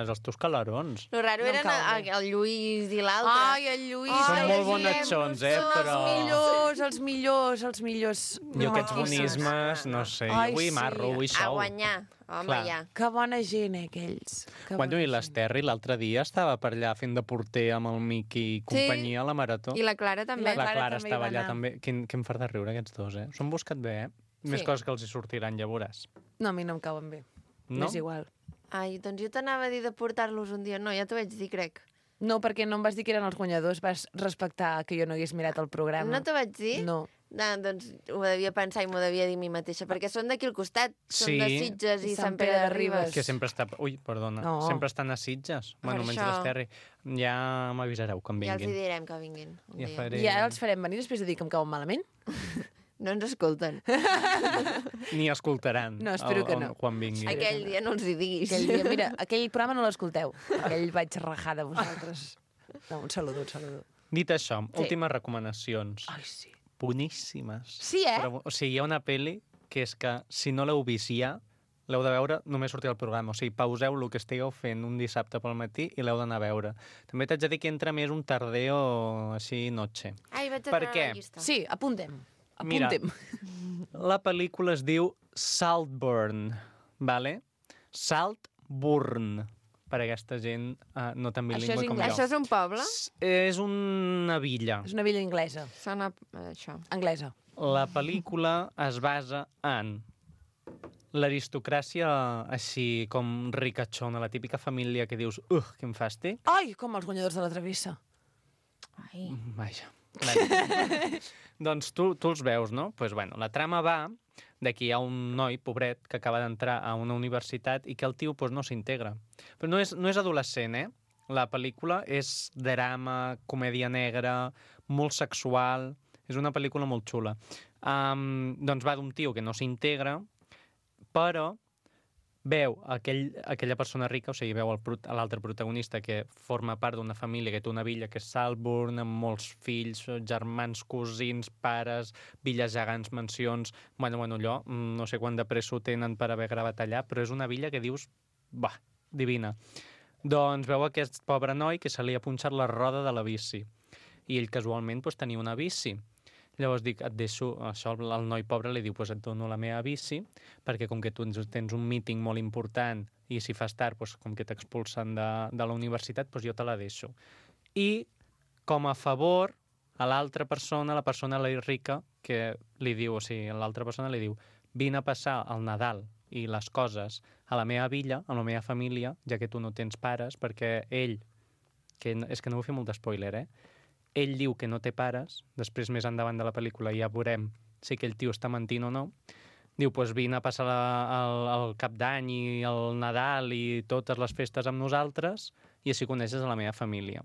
els teus calarons. Lo raro No em eren cau bé. el Lluís i l'altre. Ai, el Lluís. Són ai, molt el bonachons, Guillem, són però- els millors. Jo aquests Maquíssims. bonismes, no sé, Ai, vull sí. marro, vull A sou. guanyar. Home, Clar. ja. Que bona gent, aquells. Que Bueno, bona i gent. l'Esterri l'altre dia estava per allà fent de porter amb el Miqui i companyia a la Marató. I la Clara també. La La Clara Clara també hi estava va allà anar. també. Quin em fa de riure aquests dos, eh? S'ho han buscat bé, eh? Més Sí. coses que els hi sortiran, ja veuràs. No, a mi no em cauen bé. No? M'és igual. Ai, doncs jo t'anava a dir de portar-los un dia. No, ja t'ho vaig dir, crec. No, perquè no em vas dir que eren els guanyadors, vas respectar que jo no hagués mirat el programa. No t'ho vaig dir? No. Doncs ho devia pensar i m'ho devia dir a mi mateixa, perquè són d'aquí al costat. Són Sí. de Sitges i Sant Pere de Ribes. Que sempre està... Ui, perdona. No. Sempre estan a Sitges. Bueno, menys això. l'Esterri. Ja m'avisareu quan Ja els hi vinguin. direm que vinguin. Un Ja dia. faré... I ara els farem venir després de dir que em cauen malament? No ens escolten. Ni escoltaran. No, espero que no. Quan vinguin. Aquell dia no els hi diguis. Aquell dia, mira, aquell programa no l'escolteu. Aquell vaig rajar de vosaltres. No, un saludo. Dit això, Sí. últimes recomanacions. Ai, sí. Boníssimes. Sí, eh? Però, o sigui, hi ha una pel·li que és que, si no l'heu vist ja, l'heu de veure només sortir al programa. O sigui, pauseu el que estigueu fent un dissabte pel matí i l'heu d'anar a veure. També t'haig de dir que entra més un tardeo així noche. Ai, vaig a Per treure què? la llista. Sí, apuntem. Mira. Apuntem. La pel·lícula es diu Saltburn, vale? Saltburn, per a aquesta gent no tan Això és bilingüe com anglès. Això jo. és un poble? És una villa. És una villa anglesa. Sona això. Anglesa. La pel·lícula es basa en l'aristocràcia així com ricachona, la típica família que dius, quin fàstic. Ai, com els guanyadors de la travessa. Ai. Vaja. Vale. Doncs tu els veus, no? Pues bueno, la trama va de que hi ha un noi, pobret, que acaba d'entrar a una universitat i que el tio pues, no s'integra. Però no és adolescent, eh? La pel·lícula és drama, comèdia negra, molt sexual. És una pel·lícula molt xula. Doncs va d'un tio que no s'integra, però veu aquella persona rica, o sigui, veu l'altre protagonista que forma part d'una família que té una villa que és Saltburn, amb molts fills, germans, cosins, pares, villes gegants, mansions... Bueno, allò, no sé quant de pressa ho tenen per haver gravat allà, però és una villa que dius, divina. Doncs veu aquest pobre noi que se li ha punxat la roda de la bici. I ell casualment tenia una bici. Llavors dic, et deixo, això el noi pobre li diu, et dono la meva bici, perquè com que tu tens un míting molt important i si fas tard, com que t'expulsen de la universitat, jo te la deixo. I com a favor, a l'altra persona, la persona rica, que li diu, o sigui, l'altra persona li diu, vine a passar el Nadal i les coses a la meva villa, amb la meva família, ja que tu no tens pares, perquè ell, és que no vull fer molt d'espoiler, ell diu que no té pares, després més endavant de la pel·lícula ja veurem si aquell tio està mentint o no, diu, vine a passar el Cap d'Any i el Nadal i totes les festes amb nosaltres i així coneixes a la meva família.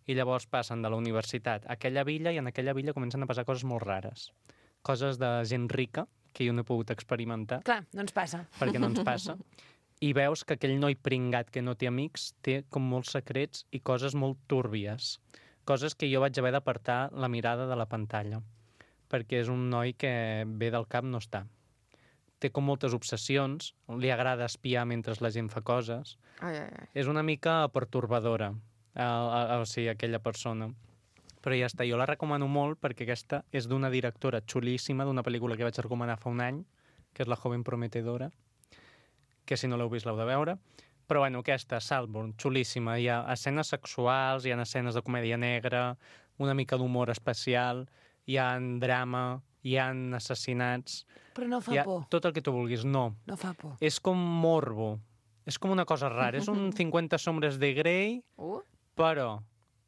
I llavors passen de la universitat a aquella villa i en aquella villa comencen a passar coses molt rares. Coses de gent rica que jo no he pogut experimentar. Clar, no ens passa. Perquè no ens passa. I veus que aquell noi pringat que no té amics té com molts secrets i coses molt túrbies. Coses que jo vaig haver d'apartar la mirada de la pantalla, perquè és un noi que ve del cap no està. Té com moltes obsessions, li agrada espiar mentre la gent fa coses. Ai. És una mica pertorbadora, o sigui, aquella persona. Però ja està, jo la recomano molt perquè aquesta és d'una directora xulíssima, d'una pel·lícula que vaig recomanar fa un any, que és La joven prometedora, que si no l'heu vist l'heu de veure. Però bueno, aquesta, Saltburn, xulíssima. Hi ha escenes sexuals, hi ha escenes de comèdia negra, una mica d'humor especial, hi ha drama, hi ha assassinats... Però no fa hi ha por. tot el que tu vulguis, no. No fa por. És com morbo. És com una cosa rara. És un 50 sombres de Grey, però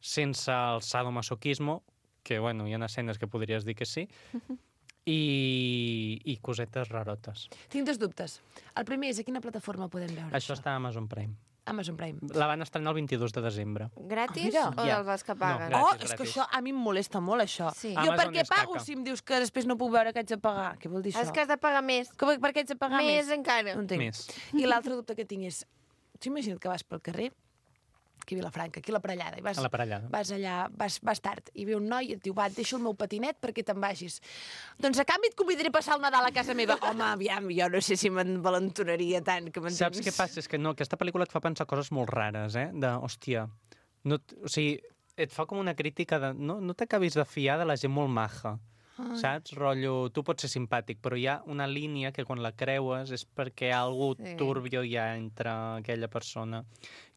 sense el sadomasoquismo, que, bueno, hi ha escenes que podries dir que sí, i cosetes rarotes. Tinc dos dubtes. El primer és a quina plataforma podem veure Això està a Amazon Prime. Amazon Prime. La van estrenar el 22 de desembre. Gratis mira. o Ja. dels que paguen? No, Oh, gratis, és que gratis. això a mi em molesta molt, això. Sí. Jo Amazon per què és pago caca. si em dius que després no puc veure que haig de pagar? Què vol dir això? És que has de pagar més. Per què haig de pagar més? Més encara. No entenc. Més. I l'altre dubte que tinc és... T'ho imagina't que vas pel carrer aquí a Vilafranca, aquí a la Parellada, i vas, A la Parellada. vas allà, vas tard, i ve un noi i et diu, va, et deixo el meu patinet perquè te'n vagis. Doncs a canvi et convidaré a passar el Nadal a casa meva. Home, aviam, jo no sé si m'envalentonaria tant, que m'entens? Saps què passa? És que no, aquesta pel·lícula et fa pensar coses molt rares, hòstia, no, o sigui, et fa com una crítica de... No t'acabis de fiar de la gent molt maja. Saps? Rotllo, tu pots ser simpàtic, però hi ha una línia que quan la creues és perquè hi ha algú turbio hi ha entre aquella persona.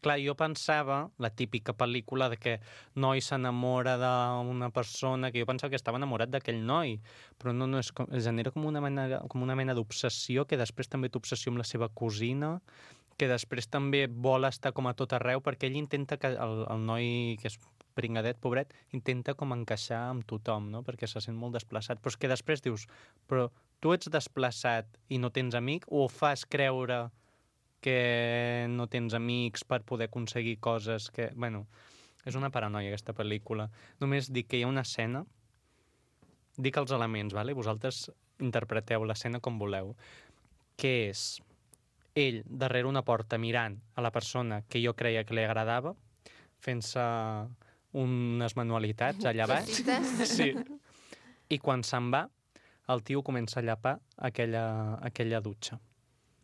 Clar, jo pensava, la típica pel·lícula de que noi s'enamora d'una persona, que jo pensava que estava enamorat d'aquell noi, però no es genera com una mena d'obsessió, que després també té obsessió amb la seva cosina, que després també vol estar com a tot arreu, perquè ell intenta que el noi, que és pringadet, pobret, intenta com encaixar amb tothom, no? Perquè se sent molt desplaçat. Però és que després dius, però tu ets desplaçat i no tens amic, o fas creure que no tens amics per poder aconseguir coses que... Bueno, és una paranoia, aquesta pel·lícula. Només dic que hi ha una escena, dic els elements, vale? Vosaltres interpreteu l'escena com voleu, que és ell darrere una porta mirant a la persona que jo creia que li agradava, fent-se unes manualitats allà baix. Sí. I quan se'n va, el tio comença a llapar aquella dutxa.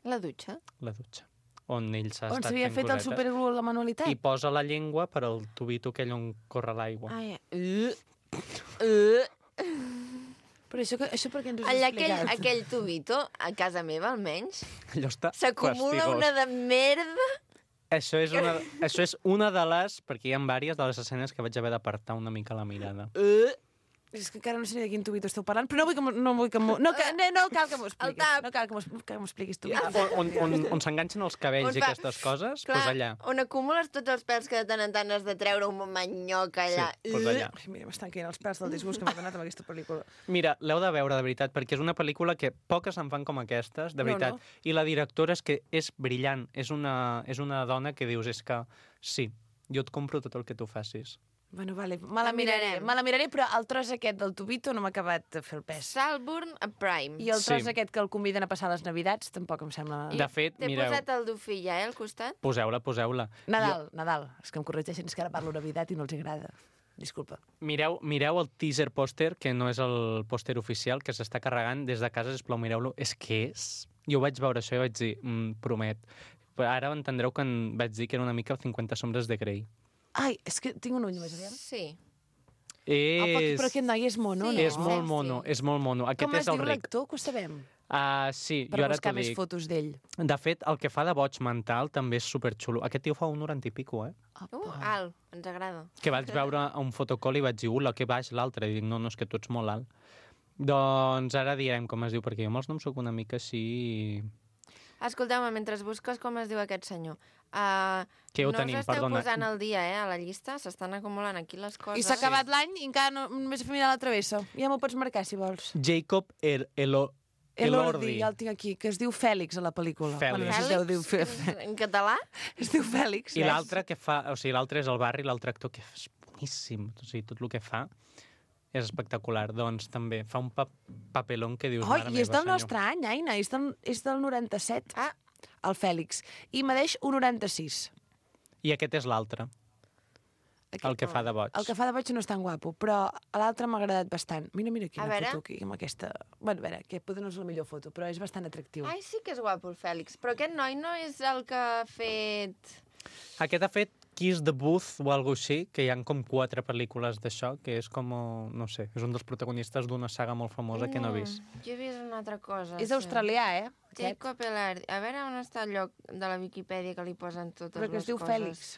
La dutxa? La dutxa. On ell s'ha On estat s'havia fent fet el cosetes. superglue a la manualitat? I posa la llengua per al tubito aquell on corre l'aigua. Ai, Però això per què ens ho has allà explicat? aquell tubito, a casa meva almenys, Allò està s'acumula fastigós. una de merda. Això és una de les, perquè hi ha diverses de les escenes que vaig haver d'apartar una mica la mirada. És que encara no sé ni de quin tubito esteu parlant, però no cal que m'ho expliquis. tap. No cal que m'ho expliquis tu. On s'enganxen els cabells On i fa- aquestes coses, Clar, doncs allà. on acumules tots els pèls que de tant en tant has de treure un manyoc allà. Sí, doncs allà. Ai, mira, m'estan caient els pèls del disgust que m'ha donat amb aquesta pel·lícula. Mira, l'heu de veure, de veritat, perquè és una pel·lícula que poques en fan com aquestes, de veritat. No. I la directora és que és brillant. És una dona que dius, és que sí, jo et compro tot el que tu facis. Bueno, vale, me la miraré, però el tros aquest del tubito no m'ha acabat de fer el pes. Salburn a Prime. I el tros Sí. aquest que el conviden a passar les Navidats tampoc em sembla... De fet, T'he mireu, posat el dofí ja, al costat? poseu-la. Nadal. És que em corregeixen, és que ara parlo Navidad i no els agrada. Disculpa. Mireu el teaser pòster, que no és el pòster oficial, que s'està carregant des de casa, sisplau, mireu-lo. És que és... Jo vaig veure això i vaig dir, promet. Però ara entendreu que vaig dir que era una mica 50 sombres de Grey. Ai, és que tinc un ull més aviam. Sí. Però aquest noi és mono, Sí, no? És molt Sí. mono, és molt mono. Aquest Com es és el diu ric. l'actor, que ho sabem? Sí, Per jo ara buscar t'ho més dic. fotos d'ell. De fet, el que fa de boig mental també és superxulo. Aquest tio fa 1,90 i pico, Alt, ens agrada. Que vaig veure a un fotocall i vaig dir, ula, que baix l'altre. I dic, no, és que tu ets molt alt. Doncs ara direm com es diu, perquè jo amb els noms soc una mica així... Escolteu-me, mentre busques com es diu aquest senyor, Què ho no tenim? us esteu Perdona. posant al dia, a la llista? S'estan acumulant aquí les coses. I s'ha acabat l'any i encara només he fet mirar la travessa. Ja m'ho pots marcar, si vols. Jacob Elordi. Ja el tinc aquí, que es diu Fèlix a la pel·lícula. Fèlix. Bueno, no sé si es deu dir En català? Es diu Fèlix. I l'altre que fa... O sigui, l'altre és el Barri, l'altre actor que és boníssim. O sigui, tot el que fa és espectacular. Doncs també fa un papelón que dius... Oh, mare i és meva, del senyor. nostre any, Aina. És del 97. Ah. El Fèlix. I medeix 1,96. I aquest és l'altre, el que fa de boig. El que fa de boig no és tan guapo, però l'altre m'ha agradat bastant. Mira A quina veure. foto aquí, amb aquesta... Bueno, a veure, que potser no és la millor foto, però és bastant atractiu. Ai, sí que és guapo el Fèlix. Però aquest noi no és el que ha fet... Aquest ha fet Kiss the Booth o alguna així, que hi ha com 4 pel·lícules d'això, que és com, no sé, és un dels protagonistes d'una saga molt famosa que no he vist. Jo he vist una altra cosa. És sí. australià, aquest. Jacob Elordi. A veure on està el lloc de la Viquipèdia que li posen totes Però que les es diu coses. Fèlix.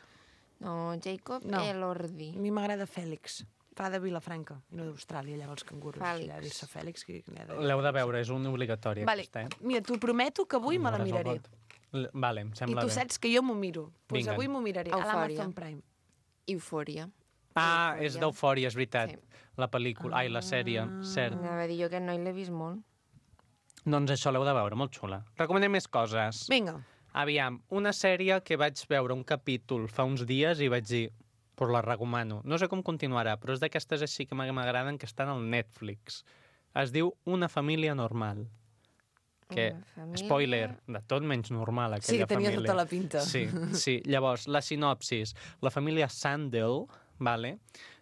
No, Jacob No. Elordi. A mi m'agrada Fèlix. Fa de Vilafranca, i no d'Austràlia, allà els cangurus. Fèlix. Allà dir-se Fèlix, que n'hi ha de... L'heu de veure, és una obligatòria, Vale, aquesta, mira, t'ho prometo que avui me la Veuràs el miraré. vot. Vale, em I sembla tu bé. saps que jo m'ho miro. Doncs Vinga. avui m'ho miraré, a Eufòria. l'Amazon Prime. Eufòria. Ah, Eufòria. és d'Eufòria, és veritat. Sí. La pel·lícula, ai, la sèrie, cert. Anava a dir jo aquest noi l'he vist molt. Doncs això l'heu de veure, molt xula. Recomanem més coses. Vinga. Aviam, una sèrie que vaig veure un capítol fa uns dies i vaig dir, pues la recomano. No sé com continuarà, però és d'aquestes així que m'agraden, que estan al Netflix. Es diu Una família normal. que, spoiler, de tot menys normal, Sí, aquella que tenia família. tota la pinta. Sí. Llavors, la sinopsis. La família Sandel, vale?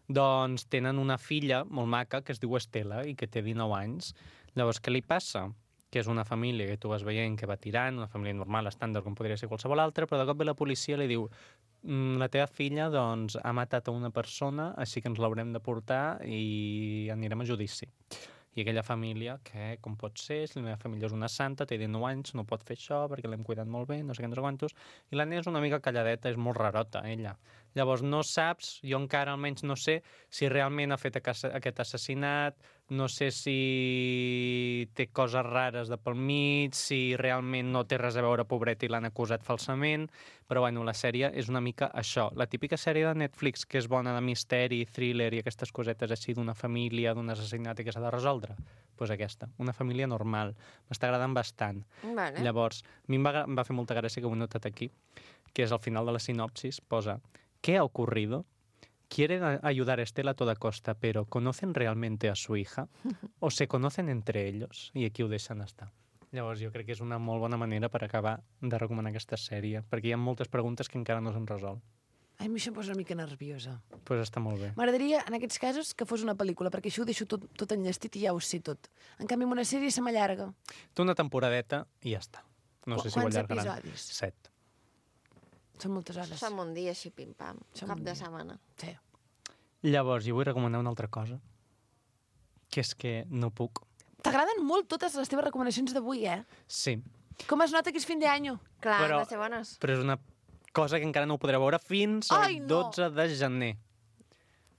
Doncs tenen una filla molt maca que es diu Estela i que té 19 anys. Llavors, què li passa? Que és una família que tu vas veient que va tirant, una família normal, estàndard, com podria ser qualsevol altra, però de cop ve la policia i li diu la teva filla doncs, ha matat a una persona, així que ens l'haurem de portar i anirem a judici. I aquella família, que com pot ser, si la meva família és una santa, té 19 anys, no pot fer això perquè l'hem cuidat molt bé, no sé què, no sé quantos, i la nena és una mica calladeta, és molt rarota, ella. Llavors no saps, jo encara almenys no sé si realment ha fet aquest assassinat, no sé si té coses rares de pel mig, si realment no té res a veure, pobret, i l'han acusat falsament, però bueno, la sèrie és una mica això. La típica sèrie de Netflix que és bona de misteri, thriller i aquestes cosetes així d'una família, d'un assassinat i que s'ha de resoldre, doncs aquesta, una família normal. M'està agradant bastant. Vale. Llavors, a mi em va fer molta gràcia que ho he notat aquí, que és al final de la sinopsis, posa ¿qué ha ocurrido? ¿Quieren ayudar a Estela a toda costa, pero ¿conocen realmente a su hija? ¿O se conocen entre ellos? I aquí ho deixen estar. Llavors, jo crec que és una molt bona manera per acabar de recomanar aquesta sèrie, perquè hi ha moltes preguntes que encara no s'han resolt. Ai, a mi això em posa una mica nerviosa. Doncs pues està molt bé. M'agradaria, en aquests casos, que fos una pel·lícula, perquè això ho deixo tot enllestit i ja ho sé tot. En canvi, amb una sèrie se m'allarga. Té una temporadeta i ja està. No sé si ho Quants allargaran. episodis? 7. Són moltes hores. Som un dia així, pim-pam, Som cap un de dia. setmana. Sí. Llavors, jo vull recomanar una altra cosa, que és que no puc. T'agraden molt totes les teves recomanacions d'avui, eh? Sí, Com es nota que és fin d'any? Clar, Però- han de ser bones. però és una cosa que encara no ho podreu veure fins al Ai, no! 12 de gener,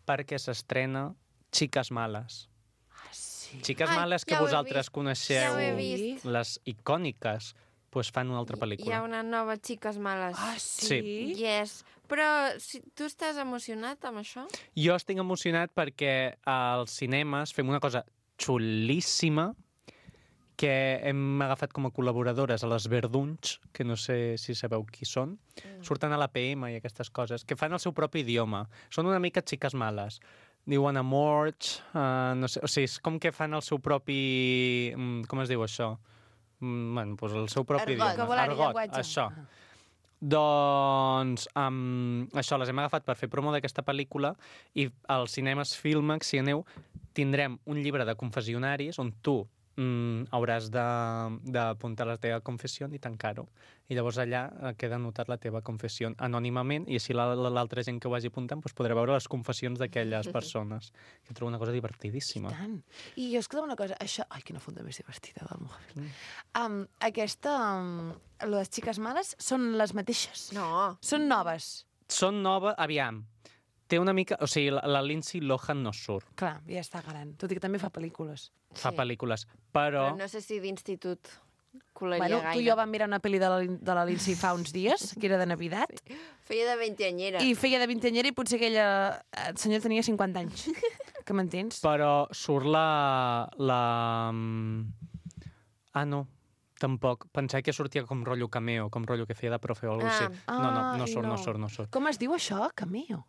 perquè s'estrena Chicas Males. Ah, sí. Xiques Ai, Males que ja ho he vosaltres vist, coneixeu, ja ho he vist. les icòniques, doncs fan una altra Hi ha pel·lícula. una nova Xiques Males. Ah, sí? Yes. Però si tu estàs emocionat amb això? Jo estic emocionat perquè als cinemes fem una cosa xulíssima que hem agafat com a col·laboradores a les Verdunys, que no sé si sabeu qui són, surten a la PM i aquestes coses, que fan el seu propi idioma. Són una mica xiques males. Diuen amorch, no sé, o sigui, és com que fan el seu propi... com es diu això? Bueno, doncs el seu propi Argot. idioma. Vocabulari, llenguatge. Això. Doncs això, les hem agafat per fer promo d'aquesta pel·lícula i als cinemes Filmax, si aneu, tindrem un llibre de confessionaris on tu hauràs d'apuntar la teva confessió i tancar-ho. I llavors allà queda anotat la teva confessió anònimament i així l'altra gent que ho vagi apuntant doncs podrà veure les confessions d'aquelles persones. Que trobo una cosa divertidíssima. I tant. I jo, escolta'm una cosa, això... Ai, quina funda més divertida del mòbil. Aquesta... les xiques males són les mateixes? No. Són noves? Són noves, aviam, té una mica... O sigui, la Lindsay Lohan no surt, Clar, ja està gran. Tot i que també fa pel·lícules. fa Sí. pel·lícules, Però però... no sé si d'institut colaria Bueno, gaire. tu i jo vam mirar una pel·li de la Lindsay fa uns dies, que era de Navidad, Feia de veinteanyera. i feia de vintanyera i potser aquella senyora tenia 50 anys. Que m'entens? Però surt Ah, no, tampoc. Pensava que sortia com rotllo cameo, com rotllo que feia de profe o alguna cosa així. No Ai, surt, no surt, no surt. Com es diu això? Cameo.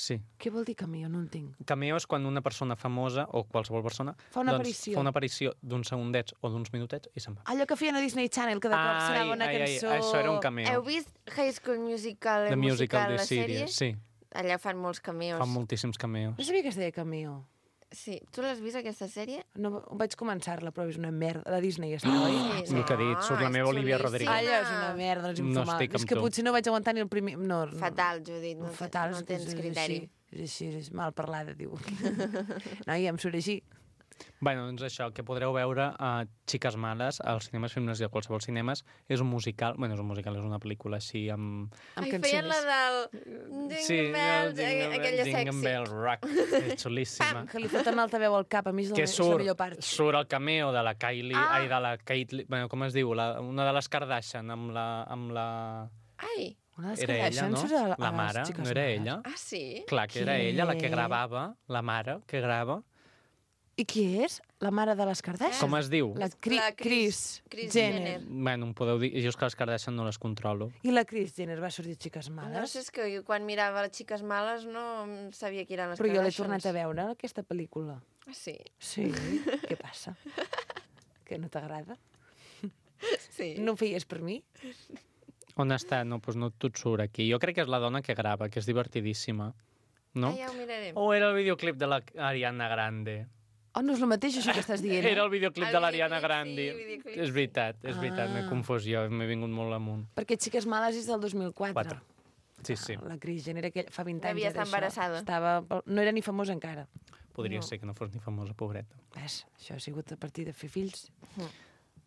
Sí. Què vol dir cameo? No entenc. Cameo és quan una persona famosa, o qualsevol persona, Fa una aparició. fa una aparició d'uns segundets o d'uns minutets i se'n va. Allò que feien a Disney Channel, que de cop sonava una cançó... això era un cameo. Heu vist High School Musical, The Musical la de sèrie? Sirius, sí. Allà fan molts cameos. Fan moltíssims cameos. No sabia que es deia cameo. Sí. Tu l'has vist, aquesta sèrie? No, vaig començar-la, però és una merda. La Disney està, oi? Sí, el que he dit, surt la és meva Olivia xulíssima. Rodrigo. Allò és una merda, no és No infumable. estic amb És que tu. potser no vaig aguantar ni el primer... No, Fatal, Judit. No, fatal, no és que tens és criteri. així, és mal parlada, diu. No, i em surt així. Bueno, doncs això, que podreu veure a Xiques Males als cinemes Filmes i a qualsevol cinemes. És un musical, bueno, és un musical, és una pel·lícula així amb... Amb Ai, feien la cançons. del... Sí, aquella Jingle sexy. Bell Rock, és xulíssima. Que li foten altaveu al cap, a mi és Que és la millor surt, part. surt el cameo de la Kylie, Ah. de la Caitlyn, bueno, com es diu, una de les Kardashian amb la... Ai, Una de les Era ella, Kardashian no? surt a La les mare, Xiques no era Males. ella? ah, sí? Clar que era Què? ella la que gravava, la mare que grava. I qui és? La mare de les Kardashian? Com es diu? La La Kris Kris Jenner. Jenner. Bueno, em podeu dir, jo és que les Kardashian no les controlo. I la Kris Jenner va sortir a Xiques Males? No sé, és que jo quan mirava les Xiques Males no sabia qui eren les Però jo l'he Kardashians. tornat a veure, aquesta pel·lícula. Ah, sí? Sí. Què passa? Que no t'agrada? Sí. No ho feies per mi? On està? No, doncs no et surt aquí. Jo crec que és la dona que grava, que és divertidíssima. No? Ah, ja ho mirarem. O era el videoclip de l'Ariana Grande? Oh, no és el mateix això que estàs dient, Era el videoclip El de l'Ariana videoclip, Grande. sí, videoclip, És veritat, m'he confós jo, m'he vingut molt amunt. Perquè Xiques Males és del 2004. 4. Sí, sí. La Kris Jenner fa 20 anys. Devia era estar això. embarassada. No era ni famosa encara. Podria ser que no fos ni famosa, pobreta. Ves, això ha sigut a partir de fer fills.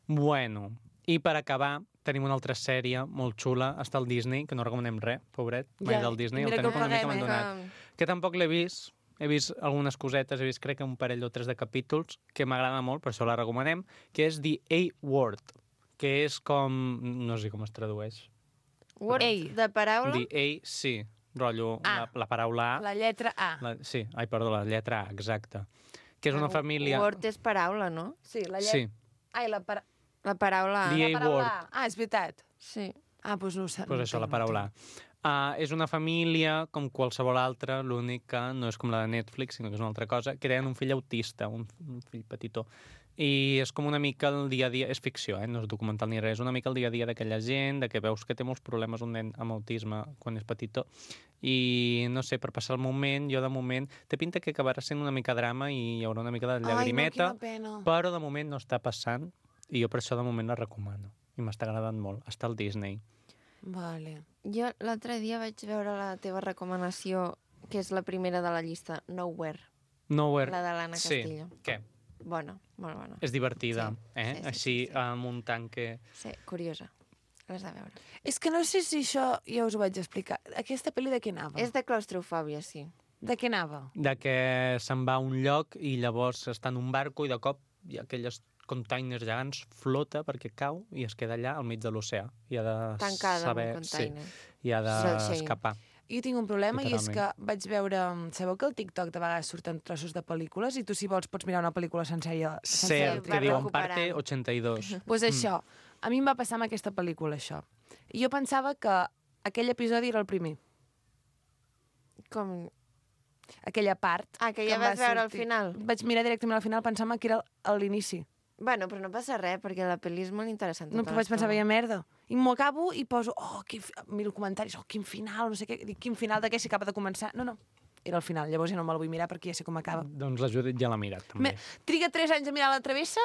Bueno, i per acabar, tenim una altra sèrie molt xula, està al Disney, que no recomanem res, pobret, mai del Disney, mira el que tenim una mica paguem, abandonat. Que tampoc l'he vist, he vist algunes cosetes, he vist crec que un parell o 3 de capítols, que m'agrada molt, per això la recomanem, que és The A-Word, que és com... no sé com es tradueix. Word Ei. de paraula? The A, sí, rotllo, A. la paraula A. La lletra A. Sí, la lletra A, exacte. Que és una família... Word és paraula, no? Sí, la Sí, Ai, la La paraula A. The la paraula A-word. A. Ah, és veritat. Sí. Ah, doncs no ho sé. pues això, la paraula A. És una família com qualsevol altra, l'únic que no és com la de Netflix, sinó que és una altra cosa, que tenen un fill autista, un fill petitó. I és com una mica el dia a dia, és ficció, no és documental ni res, és una mica el dia a dia d'aquella gent, de que veus que té molts problemes un nen amb autisme quan és petitó, i no sé, per passar el moment, jo de moment, té pinta que acabarà sent una mica drama i hi haurà una mica de llagrimeta, Ai, no, quina pena. però de moment no està passant, i jo per això de moment la recomano. I m'està agradant molt. Està al Disney. Vale. Jo l'altre dia vaig veure la teva recomanació, que és la primera de la llista, Nowhere. Nowhere. La de l'Anna Castillo. Què? Bona, molt bona. És divertida, Sí, sí, sí, Així, sí. amb un tanque... Sí, curiosa. L'has de veure. És que no sé si això ja us ho vaig explicar. Aquesta pel·li de què anava? És de claustrofòbia, sí. De què anava? De que se'n va a un lloc i llavors està en un barco i de cop hi ha aquelles containers gegants, flota perquè cau i es queda allà al mig de l'oceà. I ha de Tancada saber... en un container. I ha Sí. d'escapar. Jo tinc un problema i és que Literalment. vaig veure... Sabeu que al TikTok de vegades surten trossos de pel·lícules i tu, si vols, pots mirar una pel·lícula sencera. Cert, va que diuen recuperant. parte 82. Doncs pues això. A mi em va passar amb aquesta pel·lícula, això. I jo pensava que aquell episodi era el primer. Com... Aquella part. Ah, que ja em va vas veure al sortir. final. Vaig mirar directament al final, pensant que era a l'inici. Bueno, però no passa res, perquè la pel·li és molt interessant. No, tota però vaig pensar, l'estona. veia merda. I m'ho acabo i poso, miro comentaris, quin final, no sé què. Dic, quin final de què, si acaba de començar? No, no, era el final. Llavors ja no me'l vull mirar perquè ja sé com acaba. Doncs la Judit ja l'ha mirat, també. Triga 3 anys a mirar la travessa,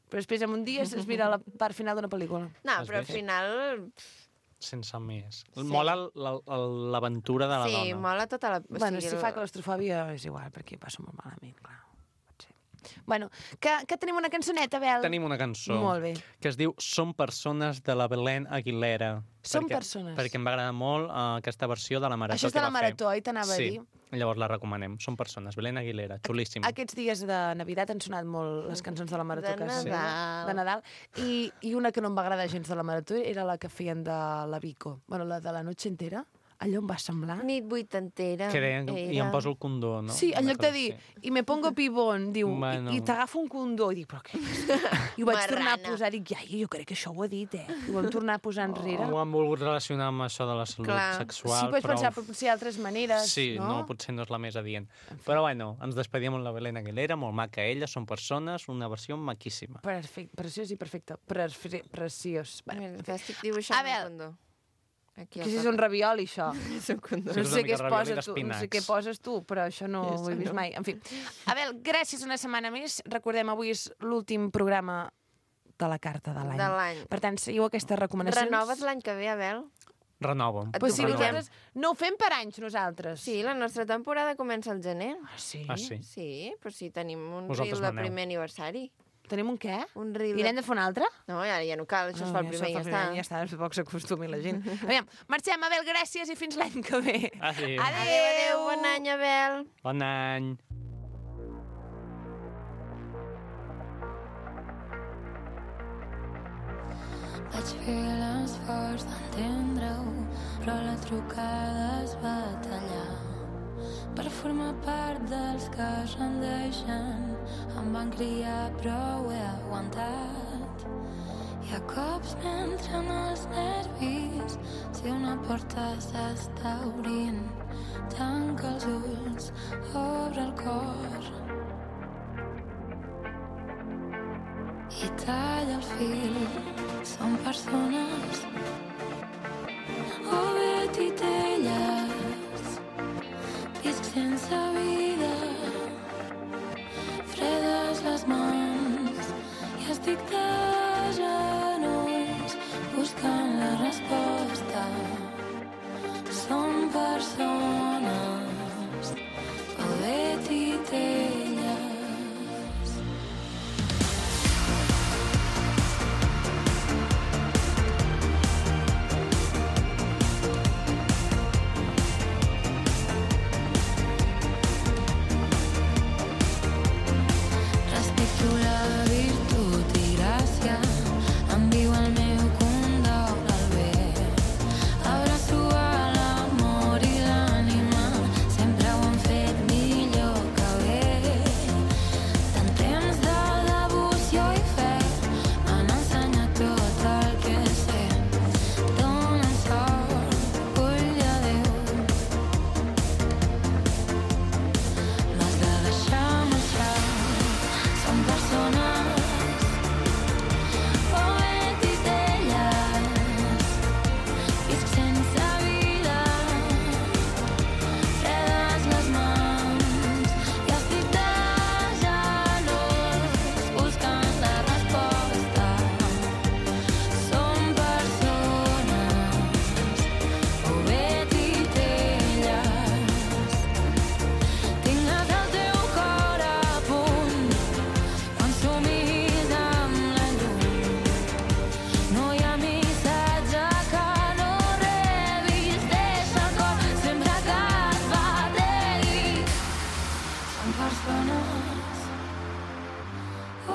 però després en un dia es mira la part final d'una pel·lícula. No, Has però al vist? final... Sense més. Sí. Mola l'aventura de la Sí, dona. mola tota la... Bueno, si fa claustrofòbia és igual, perquè passo molt malament, clar. Pot ser. Bueno, que tenim una cançoneta, Bel. Tenim una cançó Molt bé. que es diu Som persones de la Belén Aguilera. Som persones. Perquè em va agradar molt aquesta versió de la marató Això és que de la va fer. marató, oi? T'anava a Sí, dir. llavors la recomanem. Som persones, Belén Aguilera, xulíssima. Aquests dies de Navidad han sonat molt les cançons de la marató. De que es feien, Nadal. De Nadal. I una que no em va agradar gens de la marató era la que feien de la Vico. Bueno, la de la noche entera. Allò em va semblar... Nit vuitantera. Que deien, i em poso el condó, no? Sí, en Una lloc de cosa dir, així. i me pongo pibón, diu, Bueno. i t'agafo un condó, i dic, però què? I ho vaig tornar a Marrana. posar, dic, iaia, jo crec que això ho ha dit, I ho vam tornar a posar enrere. Ho han volgut relacionar amb això de la salut Clar. sexual, Sí, pots però... pensar, però potser hi ha altres maneres, Sí, no? potser no és la més adient. Però bueno, ens despedim amb la Belén Aguilera, molt maca ella, són persones, una versió maquíssima. Perfecte, preciós i perfecte. Preciós. Bueno, Mira, t'estic dibuixant A veure. un condó. Aquí que si és un ravioli, això. És un condó. No és una sé mica què es ravioli posa tu, no sé d'espinacs. què poses tu, però això no ho he vist mai. En fi. Abel, gràcies una setmana més. Recordem, avui és l'últim programa de la carta de l'any. De l'any. Per tant, seguiu aquestes recomanacions. Renoves l'any que ve, Abel? Renovo. Et Pues sí, proposem. nosaltres no ho fem per anys, nosaltres. Sí, la nostra temporada comença al gener. Ah, sí? Ah, sí? Sí, però sí, tenim un Vosaltres reel de maneu. primer aniversari. Tenim un què? Un reel I n'hem de fer un altre? No, ja no cal, això es fa el primer i ja està. Ja està, tampoc s'acostumi la gent. Aviam, marxem, Abel, gràcies i fins l'any que ve. Adéu. Adéu, adéu, bon any, Abel. Bon any. Vaig fer l'esforç d'entendre-ho, però la trucada es va tallar. Per formar part dels que es rendeixen, em van criar però ho he aguantat. Hi ha cops m'entren els nervis, si una porta s'està obrint, tanca els ulls, obre el cor i talla el fil. Som persones o bé titelles, visc sense vida, fredes les mans i estic de genolls buscant la resposta. Som persones o bé titelles. Respecto la virtut i gràcia, em viu el meu condol al bé. Abraço a l'amor i l'ànima, sempre ho han fet millor que bé. Tant temps de devoció i fe m'han ensenyat tot el que sé. Donen sort, ull de Déu, m'has de deixar marxar. Som persones o bé titelles, visc sense vida, fredes les mans i estic de genolls buscant la resposta. Som persones o bé titelles. Tingues el teu cor a punt quan somis amb la llum. No hi ha missatge que no rebis, deixa el cor sempre que et bategui. Som persones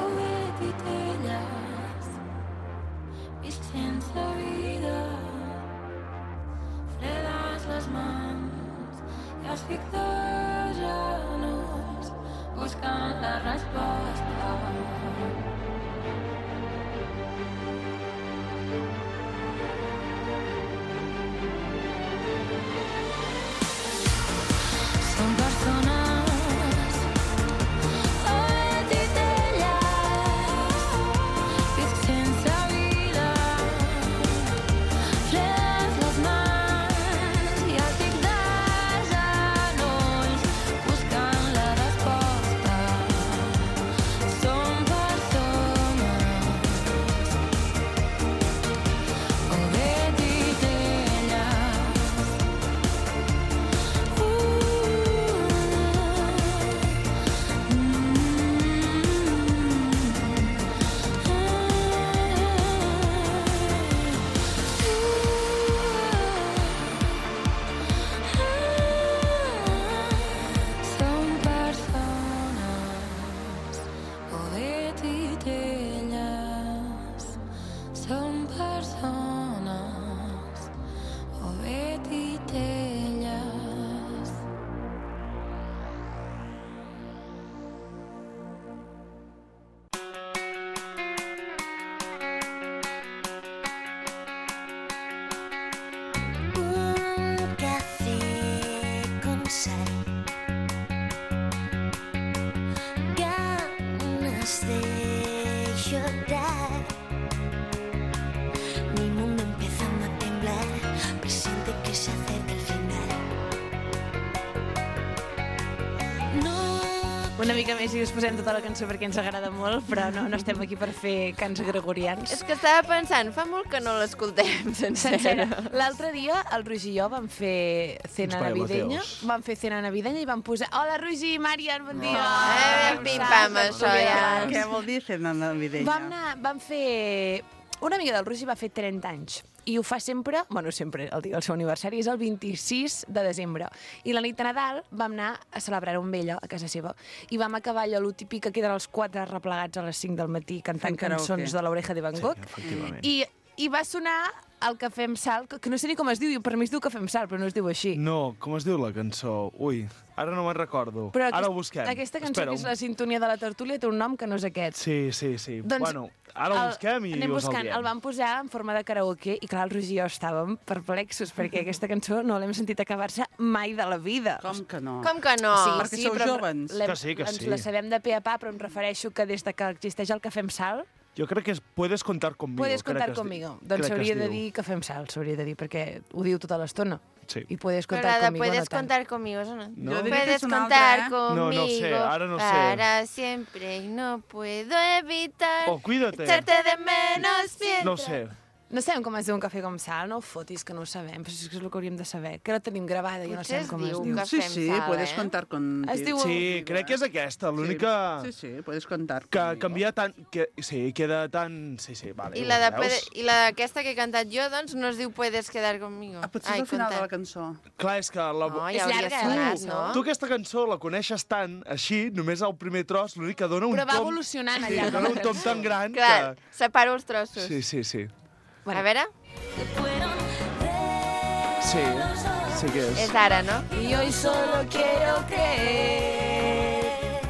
o bé titelles, visc sense vida, fredes les mans i estic de genolls buscant la resposta. Som persones o bé titelles, visc sense vida, fredes les mans i estic de genolls buscant la resposta. Som persones o bé titelles. Som persones o bé titelles. Som persones o bé titelles. Un café con sal, ganas de llorar. Mi mundo empieza a temblar, presiente que se acerca el final. No. Una mica més i us posem tota la cançó perquè ens agrada molt, però no estem aquí per fer cants gregorians. És que estava pensant, fa molt que no l'escoltem sencera. Sencera. L'altre dia el Roger i jo vam fer cena Uns navideña, Mateos. vam fer cena navideña i vam posar hola Roger, Marian, bon dia. Pim-pam, això ja. Què vol dir cena navideña? Vam fer... Una amiga del Roger va fer 30 anys i ho fa sempre, sempre, el dia del seu aniversari és el 26 de desembre. I la nit de Nadal vam anar a celebrar-ho amb ella a casa seva i vam acabar allò, lo típic que queden els 4 replegats a les 5 del matí cantant Fent karaoke. cançons de l'Oreja de Van Gogh. efectivament. I va sonar el Cafè amb Sal, que no sé ni com es diu, per mi es diu Cafè amb Sal, però no es diu així. No, com es diu la cançó? Ui, ara no me'n recordo. Però Ara ho busquem. Aquesta cançó, Espera, que és la sintonia de la tertúlia, té un nom que no és aquest. Sí. Doncs Bueno, ara ho busquem i anem us el buscant. diem. El vam posar en forma de karaoke i, clar, el Roger i jo estàvem perplexos perquè aquesta cançó no l'hem sentit acabar-se mai de la vida. Com que no? Com que no? Perquè sou però jovens. l'hem- Que sí, que ens sí. la sabem de pe a pa, però em refereixo que des de que existeix el Cafè amb Sal Jo crec que és puedes contar conmigo. Puedes crec contar que es conmigo. crec Doncs que es s'hauria de diu. dir que fem salts, s'hauria de dir, perquè ho diu tota l'estona. Sí. I puedes Però contar la de conmigo puedes no tant. contar conmigo, eso no. No? Jo diria que Puedes és una contar altra, conmigo No, no sé, ara no sé. para siempre y no puedo evitar Oh, cuídate. echarte de menos mientras... No ho sé. No sabem com es diu un cafè com sal, no ho fotis, que no ho sabem, però és que és el que hauríem de saber, que la tenim gravada i no Potser sabem es com es diu diu. que Sí, fem sí, sal, puedes eh? contar con... Es diu- Sí, crec que és aquesta, l'única... Sí, sí, puedes contar Que conmigo. canvia tant... Que, sí, queda tan... Sí, sí, vale. I la de veus? I la d'aquesta que he cantat jo, doncs, no es diu Puedes quedar conmigo. Ah, potser és al final de la cançó. Clar, és que... La... No, És ja hauria llarga, sonat, la no? cançó. Tu aquesta cançó la coneixes tant, així, només el primer tros, l'únic que dona un Però va tom... evolucionant Sí, allà. dona un tom tan gran Clar, que... separo els trossos. Sí, sí, sí. A veure, Sí, sí que és. és ara, no? Y hoy solo quiero creer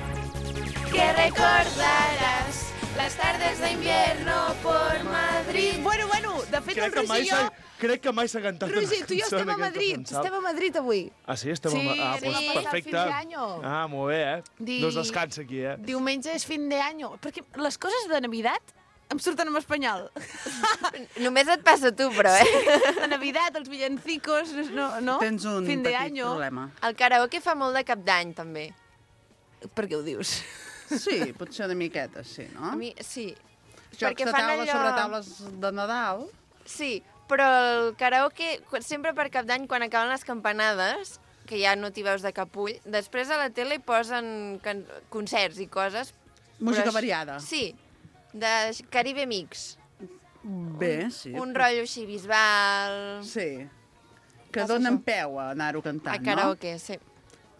que recordarás las tardes de invierno por Madrid. Bueno, de fet el Roger i jo... Crec que mai s'ha cantat Roger, tu i jo cançó en estem a aquesta Madrid. cançó. Estem a Madrid avui. Ah, sí? Estem Sí, a... Ah, anem doncs a passar el perfecte. fin d'any. Ah, molt bé, eh? No es descansa aquí, eh? Diumenge és fin de año. Perquè les coses de Navidad em surten en espanyol. Només et passa a tu, però, eh? La Navidad, els villancicos, no? Tens un fin de petit año. problema. El karaoke fa molt de cap d'any, també. Per què ho dius? Sí, potser una miqueta, sí, no? A mi, sí. Jocs perquè de fan taula allò- sobre taules de Nadal. Sí, però el karaoke, sempre per cap d'any, quan acaben les campanades, que ja no t'hi veus de cap ull, després a la tele hi posen concerts i coses. Música però variada. Sí, de Caribe Mix. Bé, sí. Un rotllo així bisbal... Sí. Que Passa donen això. peu a anar-ho cantant, A karaoke, sí. no?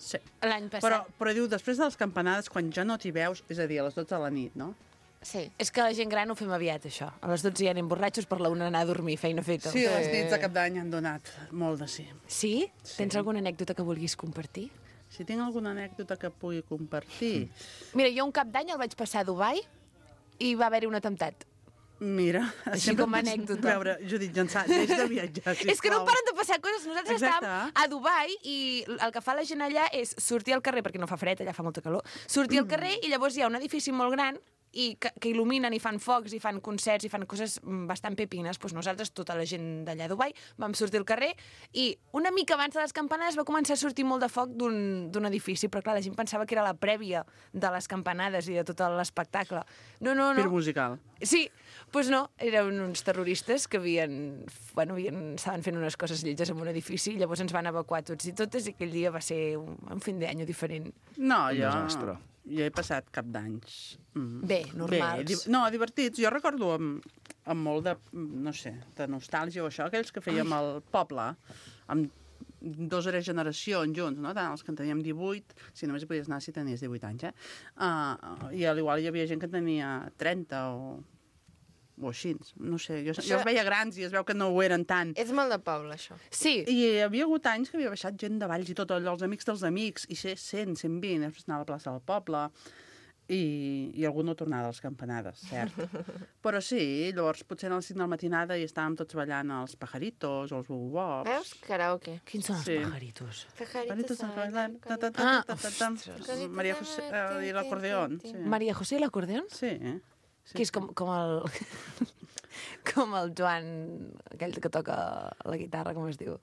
Sí. L'any passat. Però diu, després de les campanades, quan ja no t'hi veus, és a dir, a les 12 de la nit, no? Sí. És que la gent gran ho fem aviat, això. A les 12 ja anem borratxos, per la una anar a dormir, feina feta. Sí, les nits de cap d'any han donat molt de sí. Sí? Tens alguna anècdota que vulguis compartir? Si tinc alguna anècdota que pugui compartir... Mira, jo un cap d'any el vaig passar a Dubai i va haver-hi un atemptat. Mira... Així sempre com a pots anècdota. Veure, Judit Jansà, deix de viatjar, sisplau. És que no paren de passar coses. Nosaltres Exacte. estàvem a Dubai i el que fa la gent allà és sortir al carrer, perquè no fa fred, allà fa molta calor, sortir al carrer i llavors hi ha un edifici molt gran i que il·luminen i fan focs i fan concerts i fan coses bastant pepines. Doncs nosaltres, tota la gent d'allà a Dubai, vam sortir al carrer i una mica abans de les campanades va començar a sortir molt de foc d'un edifici, però clar, la gent pensava que era la prèvia de les campanades i de tot l'espectacle. No. Pir musical. Sí, doncs no, eren uns terroristes que estaven fent unes coses lletges en un edifici i llavors ens van evacuar tots i totes i aquell dia va ser un fin d'any diferent. No, Un jo... desastre. Jo he passat cap d'anys. Bé, normals. Divertits. Jo recordo amb molt de, no sé, de nostàlgia o això, aquells que fèiem al poble, amb 2 o 3 generacions junts, no? Tant els que en teníem 18, si només hi podies anar si tenies 18 anys, I a l'igual hi havia gent que en tenia 30 o així. No sé, jo els veia grans i es veu que no ho eren tant. És molt de poble, això. Sí, I hi havia hagut anys que havia baixat gent de Valls i tot, allò, els amics dels amics, i ser 100, 120, després anar a la plaça del poble, i algú no tornava a les campanades, cert. Però sí, llavors potser a les 5 de la matinada i estàvem tots ballant els pajaritos o els bubobops. Veus? Karaoke. quins són els Sí. pajaritos? Pajaritos bailan, ta, ta, ta, Ah, ta, ta, ta, ta. Maria José i l'acordeón. Sí. Maria José i l'acordeón? Sí. Que és com el... com el Joan, aquell que toca la guitarra, com es diu?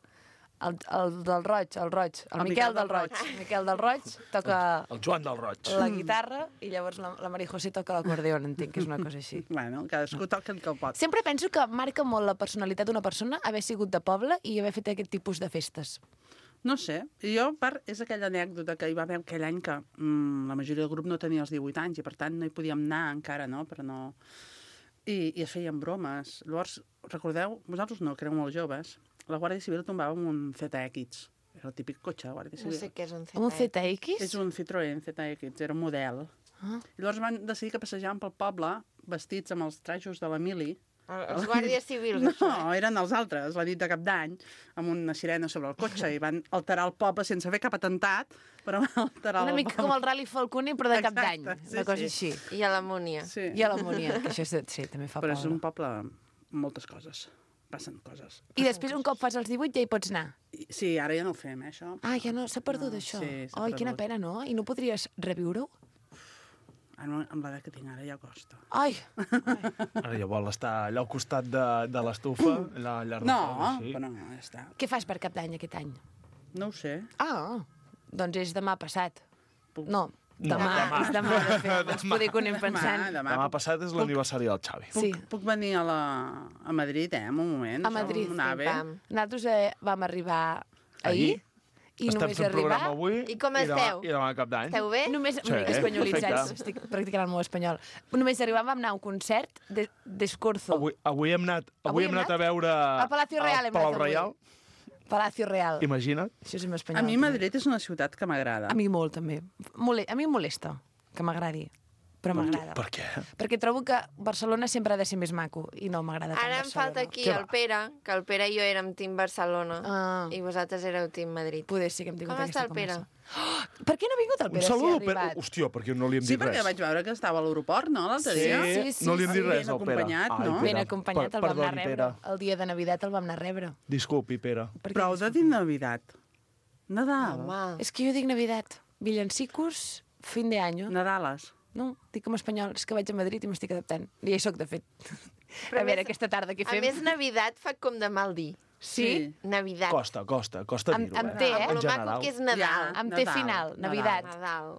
El del Roig, el Miquel del Roig. Miquel del Roig toca El Joan del Roig. la guitarra i llavors la Maria José toca l'acordeón, entenc que és una cosa així. Bueno, cadascú toca el que pot. Sempre penso que marca molt la personalitat d'una persona haver sigut de poble i haver fet aquest tipus de festes. No sé, jo, és aquella anècdota que hi va haver aquell any que la majoria del grup no tenia els 18 anys i per tant no hi podíem anar encara, no? Però no... I es feien bromes. Llavors, recordeu, vosaltres no, que éreu molt joves, la Guàrdia Civil tombava amb un ZX. Era el típic cotxe de Guàrdia No Civil. sé què és un ZX. Un ZX? És un Citroën ZX, era un model. Ah. I llavors van decidir que passejàvem pel poble vestits amb els trajos de la mili. Els guàrdies civils, No, això. eren els altres, la nit de cap d'any, amb una sirena sobre el cotxe i van alterar el poble sense fer cap atemptat, però van alterar Una el mica poble. com el Rally Falconi, però de cap Exacte, d'any. sí, Una cosa sí. així. I a l'Amúnia. Sí. I a l'Amúnia, que això sí, també fa Però és un poble. poble amb moltes coses. Passen coses. I després, un cop fas els 18, ja hi pots anar. Sí, ara ja no ho fem, això. Ah, ja no, s'ha perdut No, això. sí, s'ha Ai, quina perdut. pena, no? I no podries reviure-ho? Ara, amb l'edat que tinc ara ja costa. Ai, Ara ja vol estar allà al costat de l'estufa, allà al llarg No, del foc, així. però ja està. què fas per Cap d'Any aquest any? No ho sé. Ah, doncs és demà passat. Puc- No, demà. És demà, de fet. Ens poder que ho anem pensant. Demà passat és l'aniversari del Xavi. Puc venir a Madrid, en un moment. A Madrid, Som una ave. pam. Nosaltres vam arribar ahir i Estem només fent arribar... programa avui I com demà- esteu? I demà cap d'any. Esteu bé? Només, Sí, una mica espanyolitzats, perfecte. estic practicant el meu espanyol. Només arribant vam anar a un concert d'Escorzo. Avui hem anat a veure... Al Palacio Real hem Palau anat avui. Reial, Palacio Real. imagina't. Això és en espanyol. A mi també. Madrid és una ciutat que m'agrada. A mi molt, també. A mi em molesta que m'agradi, però m'agrada. Per què? Perquè trobo que Barcelona sempre ha de ser més maco i no m'agrada tant Ara em Barcelona. falta aquí Què el va? Pere, que el Pere i jo érem team Barcelona Ah. i vosaltres éreu team Madrid. Poder ser que hem tingut Com aquesta està el Pere? conversa. Oh, per què no ha vingut el Un Pere saludo, si ha Pere. arribat? Hòstia, perquè no li hem Sí, dit perquè res. vaig veure que estava a l'aeroport, no?, l'altre dia. Sí, no li hem dit ben res al Pere. acompanyat, no? Pere. Ben acompanyat, el vam anar a Perdoni, rebre. Pere. El dia de Navidad el vam anar a rebre. Disculpi, Pere. Per què Prou de dir Navidad. Nadal. Home, És que jo dic Navidad. Villancicos, fin de año. Nadales. No, dic en espanyol. És que vaig a Madrid i m'estic adaptant. Ja hi soc, de fet. Però a veure, més- aquesta tarda què a fem? més, Navidad fa com de mal dir. Sí? Navidad. Costa Amb- dir-ho, amb té, eh? En Amb lo maco general. que és Nadal. Ja. Amb té Nadal, final, Nadal. Navidad. Nadal.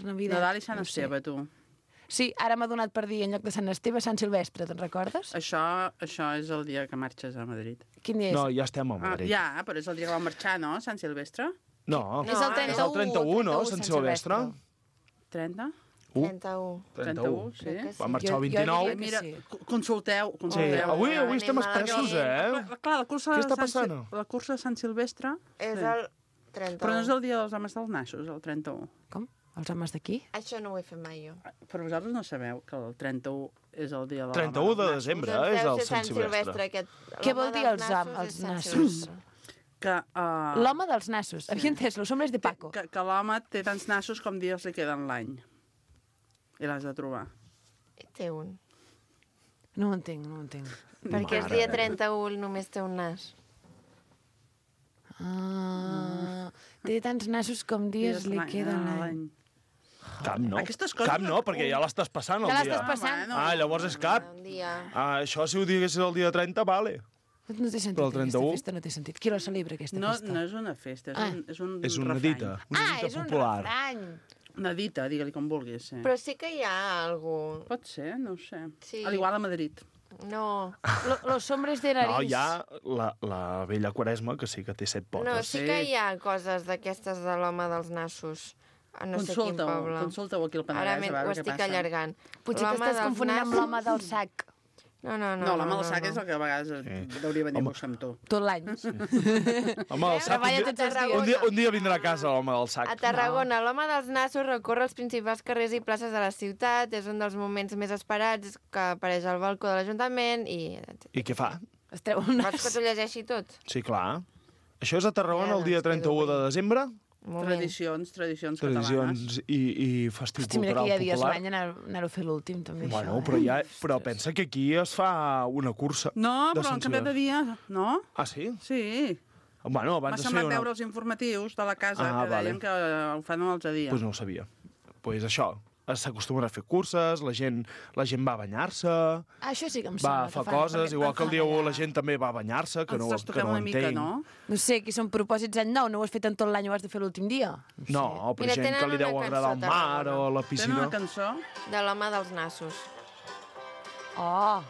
Navidad. Nadal i Sant no sé. Esteve, tu. Sí, ara m'ha donat per dir en lloc de Sant Esteve, Sant Silvestre, te'n recordes? Això és el dia que marxes a Madrid. Quin dia és? No, ja estem a Ah, Madrid. ja, però és el dia que vam marxar, no?, Sant Silvestre? No, És el 31, és el 31, no? Sant Silvestre. 30? 31. 31, sí. Crec que sí. Va marxar el Jo 29. diria Mira, sí. consulteu. Sí, avui Anem estem a la expressos, guia. eh? Clar, la cursa Què de està Sant passant? La cursa de Sant Silvestre... És sí. el 31. Però no és el dia dels homes dels nassos, el 31. Com? Els homes d'aquí? Això no ho he fet mai jo. Però vosaltres no sabeu que el 31 és el dia del 31 de desembre, Doncs és deu el ser Sant Silvestre. Aquest... Què l'home vol dir dels els nassos els és Sant nassos? Silvestre. Que, L'home dels nassos. Havia entès, los hombres de Paco. que l'home té tants nassos com dies li queden l'any. I l'has de trobar. Té un. No ho entenc, no ho entenc. Perquè el dia 31 només té un nas. Ah, té tants nassos com dies li queda l'any. Cap no. Aquestes coses Cap no, perquè ja l'estàs passant el Ja dia. l'estàs passant. Ah, llavors és cap. Un dia... Ah, això si ho diguessis el dia 30, vale. No té sentit, Però el aquesta 31? festa no té sentit. Qui la celebra, aquesta No, festa? no és una festa, és, Ah. és un És una refrany. dita. Ah, Una dita és un popular. refrany. Una dita, digue-li com vulguis. Sí. Però sí que hi ha algú... Pot ser, no ho sé. Sí. A l'igual a Madrid. No, Los hombres de No, nariz. hi ha la vella Quaresma, que sí que té 7 potes. no, sí que hi ha coses d'aquestes de l'home dels nassos. A no sé quin poble. Consulta-ho aquí al Ara Penedès, a ho veure què estic passa. allargant. Potser L'home t'estàs dels confonent amb nassos- l'home del sac. No, No, l'home del sac és el que a vegades hauria venir a buscar amb tu. Tot l'any. Home, del sac, Treballa tots els dies. un dia vindrà a casa l'home del sac. A Tarragona, l'home dels nassos recorre els principals carrers i places de la ciutat, és un dels moments més esperats que apareix al balcó de l'Ajuntament i... I què fa? Es treu un Vols que nas. t'ho llegeixi tot? Sí, clar. Això és a Tarragona Ja, el dia doncs, quedo 31 de bé. desembre? Un moment. Tradicions catalanes. Tradicions i festiu Hosti, mira que cultural hi ha dies popular. l'any anar-ho a fer l'últim, també, Bueno, això. però pensa que aquí es fa una cursa. No, de però Sant han canviat de Silvestre. dia, no? Ah, sí? Sí. Bueno, M'ha abans es feia semblat una... veure els informatius de la casa Ah, que vale. deien que ho fan un altre dia. Pues no ho sabia. Pues això, s'acostumen a fer curses, la gent va a banyar-se, Ah, això sí que em va sembla. a fer que fan, coses, perquè igual que el dia 1 allà. la gent també va a banyar-se, que Ens no, trastoquem que no ho una mica, entenc. no? No sé, qui són propòsits any nou, no ho has fet en tot l'any, ho has de fer l'últim dia. No, però Mira, gent tenen que li deu una agradar el cançó a mar Tarragona. o la Tenen piscina. una cançó? De l'home dels nassos. Oh,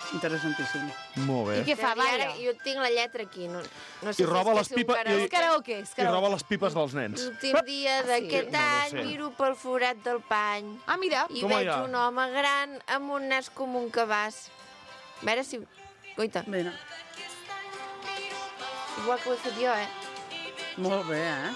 Interessantíssim. Molt bé. i què fa, I ara balla? jo tinc la lletra aquí. No sé I roba les pipes... És karaoke, és I karaoke. roba les pipes dels nens. L'últim dia d'aquest No, no any sé. miro pel forat del pany Ah, mira. i Toma veig ja. un home gran amb un nas com un cabàs. A veure si... Coita, Mira, igual que ho he fet jo, molt bé, eh?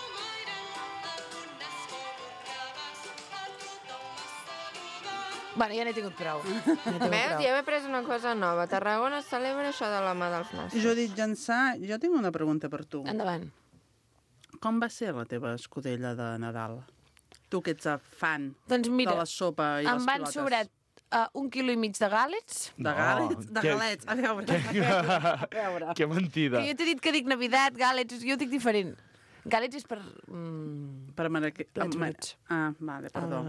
Bueno, ja n'he tingut prou. Ja n'he tingut Veus? prou. Ja m'he pres una cosa nova. A Tarragona es celebra això de l'home dels nassos. Judit Jansà, jo tinc una pregunta per tu. Endavant. Com va ser la teva escudella de Nadal? Tu que ets fan Doncs mira, de la sopa i em les van pilotes. sobrar 1,5 quilo de gàlets. De galets? De galets. A veure. Que mentida. Que jo t'he dit que dic Navidad, gàlets, jo ho dic diferent. Gàlets és per... Per plats bruts. Vale, perdó.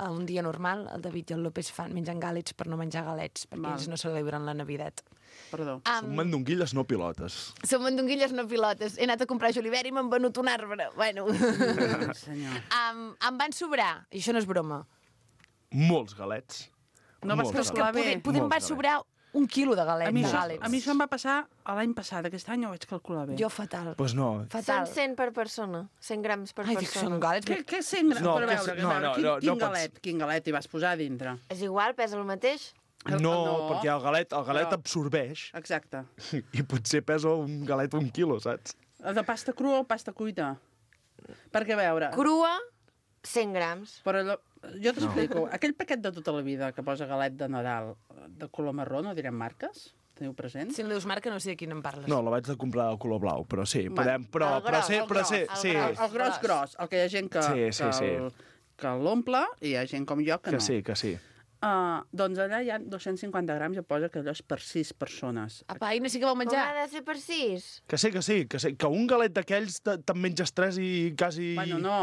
Un dia normal, el David i el López mengen gàlets per no menjar galets, perquè ells no celebren la Navidad. Perdó. Són mandonguilles, no pilotes. Som mandonguilles, no pilotes. He anat a comprar julivert i m'han venut un arbre. Bueno. Senyor. Em van sobrar, i això no és broma. Molts galets. No vas Molts calcular bé. Poder em va sobrar 1 quilo de galets. A mi això em va passar l'any passat. Aquest any ho vaig calcular bé. Jo fatal. Pues no. Fatal. Són 100 per persona. 100 grams per Ai, dic, són persona. galets. Què 100 grams? No, Però a veure, no pots- quin galet hi vas posar a dintre? És igual, pesa el mateix? No, perquè el galet absorbeix Exacte. i potser pesa un galet 1 quilo, saps? De pasta crua o pasta cuita? Perquè, a veure... Crua, 100 grams. Però jo t'explico. Aquell paquet de tota la vida que posa galet de Nadal de color marró, no direm marques? Teniu present? Si em dius marca, no sé de quin em parles. No, la vaig de comprar de color blau, però sí, podem... Però sí. El gros. El que hi ha gent que l'omple i hi ha gent com jo que no. Que sí. Doncs allà hi ha 250 grams, ja posa que allò és per 6 persones. Apa, i no sé què vau Com menjar. ha de ser per 6? Que sí. Que un galet d'aquells te'n menges 3 i quasi... Bueno, no.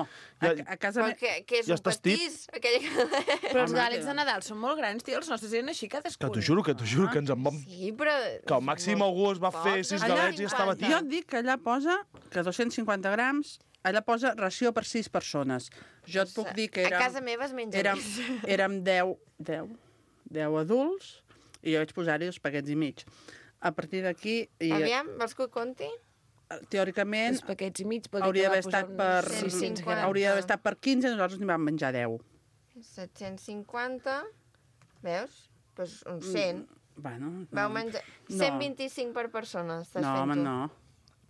A casa... Però que és ja un estàs tip. pastís? Aquell... Però els galets de Nadal són molt grans, tio. Els nostres eren així cadascun. Que t'ho juro, que ens en vam... Sí, però... Que al màxim algú es va fer 6 galets i estava tip. Jo et dic que allà posa que 250 grams, allà posa ració per 6 persones. Jo et puc dir que A casa meva es menja més. érem 10 adults i jo vaig posar-hi 2 paquets i mig. A partir d'aquí... Aviam, vols que ho conti? Teòricament, 2 paquets i mig. hauria d'haver estat per... 600 grams. Hauria d'haver estat per 15 i nosaltres n'hi vam menjar 10. 750... Veus? Doncs uns 100. Bueno, no. Vau menjar... 125 per persona, estàs No, fent home, tu. no.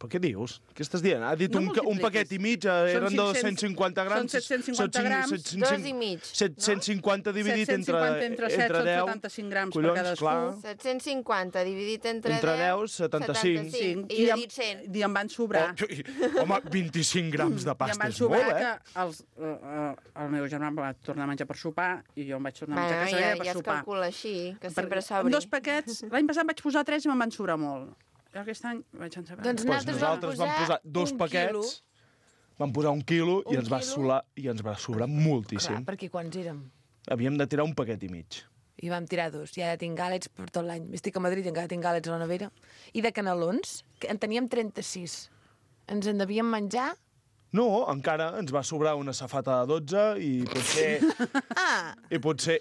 Però què dius? Què estàs dient? Ha dit No un multipliquis. paquet i mig, eren de 500 250 grams. Són 750 grams. 2 i mig. 750 dividit 750 entre 7 són 10. 75 grams Collons, per cadascú. clar. 750 dividit entre 10, 75. 75. I jo he dit 100. I em van sobrar. Home, 25 grams de I em pasta van és sobrar molt, que el meu germà va tornar a menjar per sopar i jo em vaig tornar a menjar a casa ja meva per es sopar. calcula així, que sempre Amb s'obri. 2 paquets, l'any passat vaig posar 3 i me'n van sobrar molt. Jo aquest any vaig en saber. Doncs Pues nosaltres vam posar 2 1 paquets, vam posar 1 quilo i Un ens va quilo. sobrar moltíssim. Clar, perquè quants érem? Havíem de tirar un paquet i mig. I vam tirar 2. I ara tinc gàlets per tot l'any. Estic a Madrid i encara tinc gàlets a la nevera. I de canelons, que en teníem 36. Ens en devíem menjar... No, encara ens va sobrar una safata de 12 i potser... I potser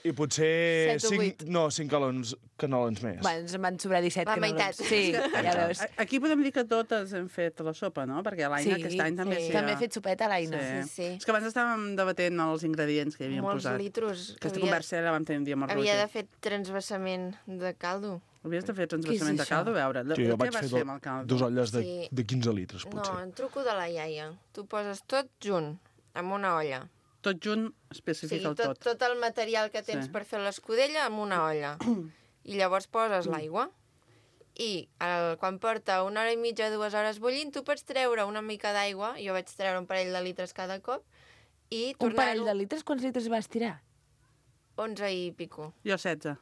7 o 8. 5 canelons més. Bueno, ens en van sobrar 17 La canelons. meitat. Sí, ja veus. Aquí podem dir que totes hem fet la sopa, no? Perquè l'Aina aquest any també sí. s'hi ha... També he fet sopeta a l'Aina. Sí. És que abans estàvem debatent els ingredients que hi havíem Molts posat. litros. Aquesta conversa la vam tenir un dia amb el Havia de Roger. fer transvasament de caldo. Havies de fer transvasament de això? caldo, a veure. Sí, jo Què vaig vas fer fer amb el caldo? 2 olles Sí. de 15 litres, No, potser. en truco de la iaia. Tu poses tot junt, amb una olla. Tot junt O especifica sigui, el tot. tot el material que tens Sí. per fer l'escudella amb una olla. I llavors poses l'aigua. I quan porta 1 hora i mitja, 2 hores bullint, tu pots treure una mica d'aigua, jo vaig treure un parell de litres cada cop, i Un parell tornar-ho de litres? Quants litres vas tirar? 11 i pico. Jo 16.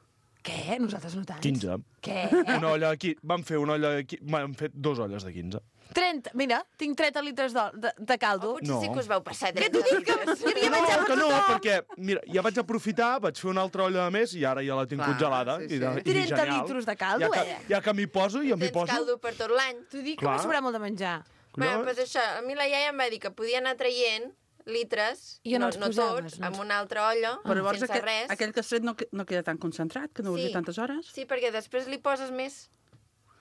Què? Nosaltres no tants. 15. Què? Una olla aquí. Vam fer una olla aquí. Vam fer 2 olles de 15. 30. Mira, tinc 30 litres de caldo. Potser No. sí que us vau passar. Què t'ho dic? Que hi havia menjar per que no, tothom. perquè, mira, ja vaig aprofitar, vaig fer una altra olla de més i ara ja la tinc Clar, congelada. sí, sí. I 30 genial. litros de caldo, Ja que m'hi poso, jo m'hi Tens poso. caldo per tot l'any. T'ho dic que Clar. m'ha sobrat molt de menjar. Bueno, doncs això, a mi la iaia em va dir que podia anar traient litres, I on els no posaves? tots, amb una altra olla, Però llavors sense res. aquell que has tret no queda tan concentrat, que no vols dir tantes hores? Sí, perquè després li poses més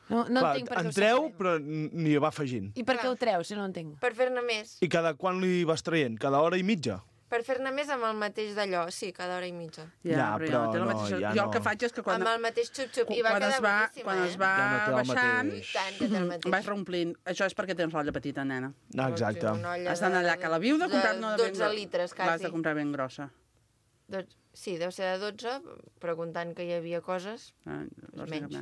No Clar, entenc per què en ho treu, separem. però n'hi va afegint. I per què ho treus, si no ho entenc? per fer-ne més. I cada quan li vas traient? Cada hora i mitja? Per fer-ne més amb el mateix d'allò, sí, cada hora i mitja. Ja, però però té la no, mateixa... ja Jo el no. que faig és que quan... Amb el mateix xup-xup. I va quedar boníssima, quan es va Ja no té el baixant, mateix. Tant que té el mateix. vas reomplint. Això és perquè tens l'olla petita, nena. Exacte. Una olla Has d'anar allà a Cala Viu de comprar una de ben 12 litres, L'has quasi. de comprar ben grossa. Sí, deu ser de 12, preguntant que hi havia coses. Menys.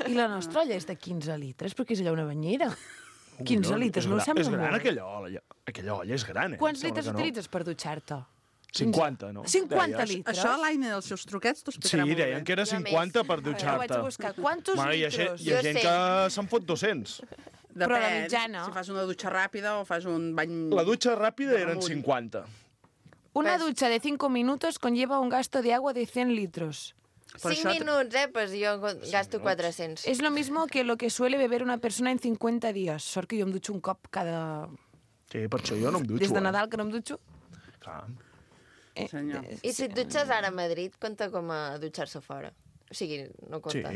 I la nostra olla és de 15 litres, perquè és allò una banyera. 15 litres, no us sembla És gran molt? aquella olla. Aquella olla és gran, eh? Quants Sembla litres que no. utilitzes per dutxar-te? 50, no? 50 Deies. litres? Això l'Aina dels seus truquets t'ho Sí, explicarà molt deien bé. que era Jo 50 per Ho vaig dutxar-te. a buscar. Quantos Bueno, hi ha litros? gent Jo sé. que se'n fot 200. Però la Depèn, mitjana. si fas una dutxa ràpida o fas un bany... La dutxa ràpida eren Amunt. 50. Una Pues- ducha de 5 minutos conlleva un gasto de agua de 100 litros. Per 5 això minuts, pues jo gasto 400. Es lo mismo que lo que suele beber una persona en 50 días. Sort que jo em dutxo un cop cada... Sí, per això jo no em dutxo. Des de Nadal que no em dutxo. Clar. Senyor. I si et dutxes ara a Madrid, compta com a dutxar-se fora. O sigui, no Sí. compta.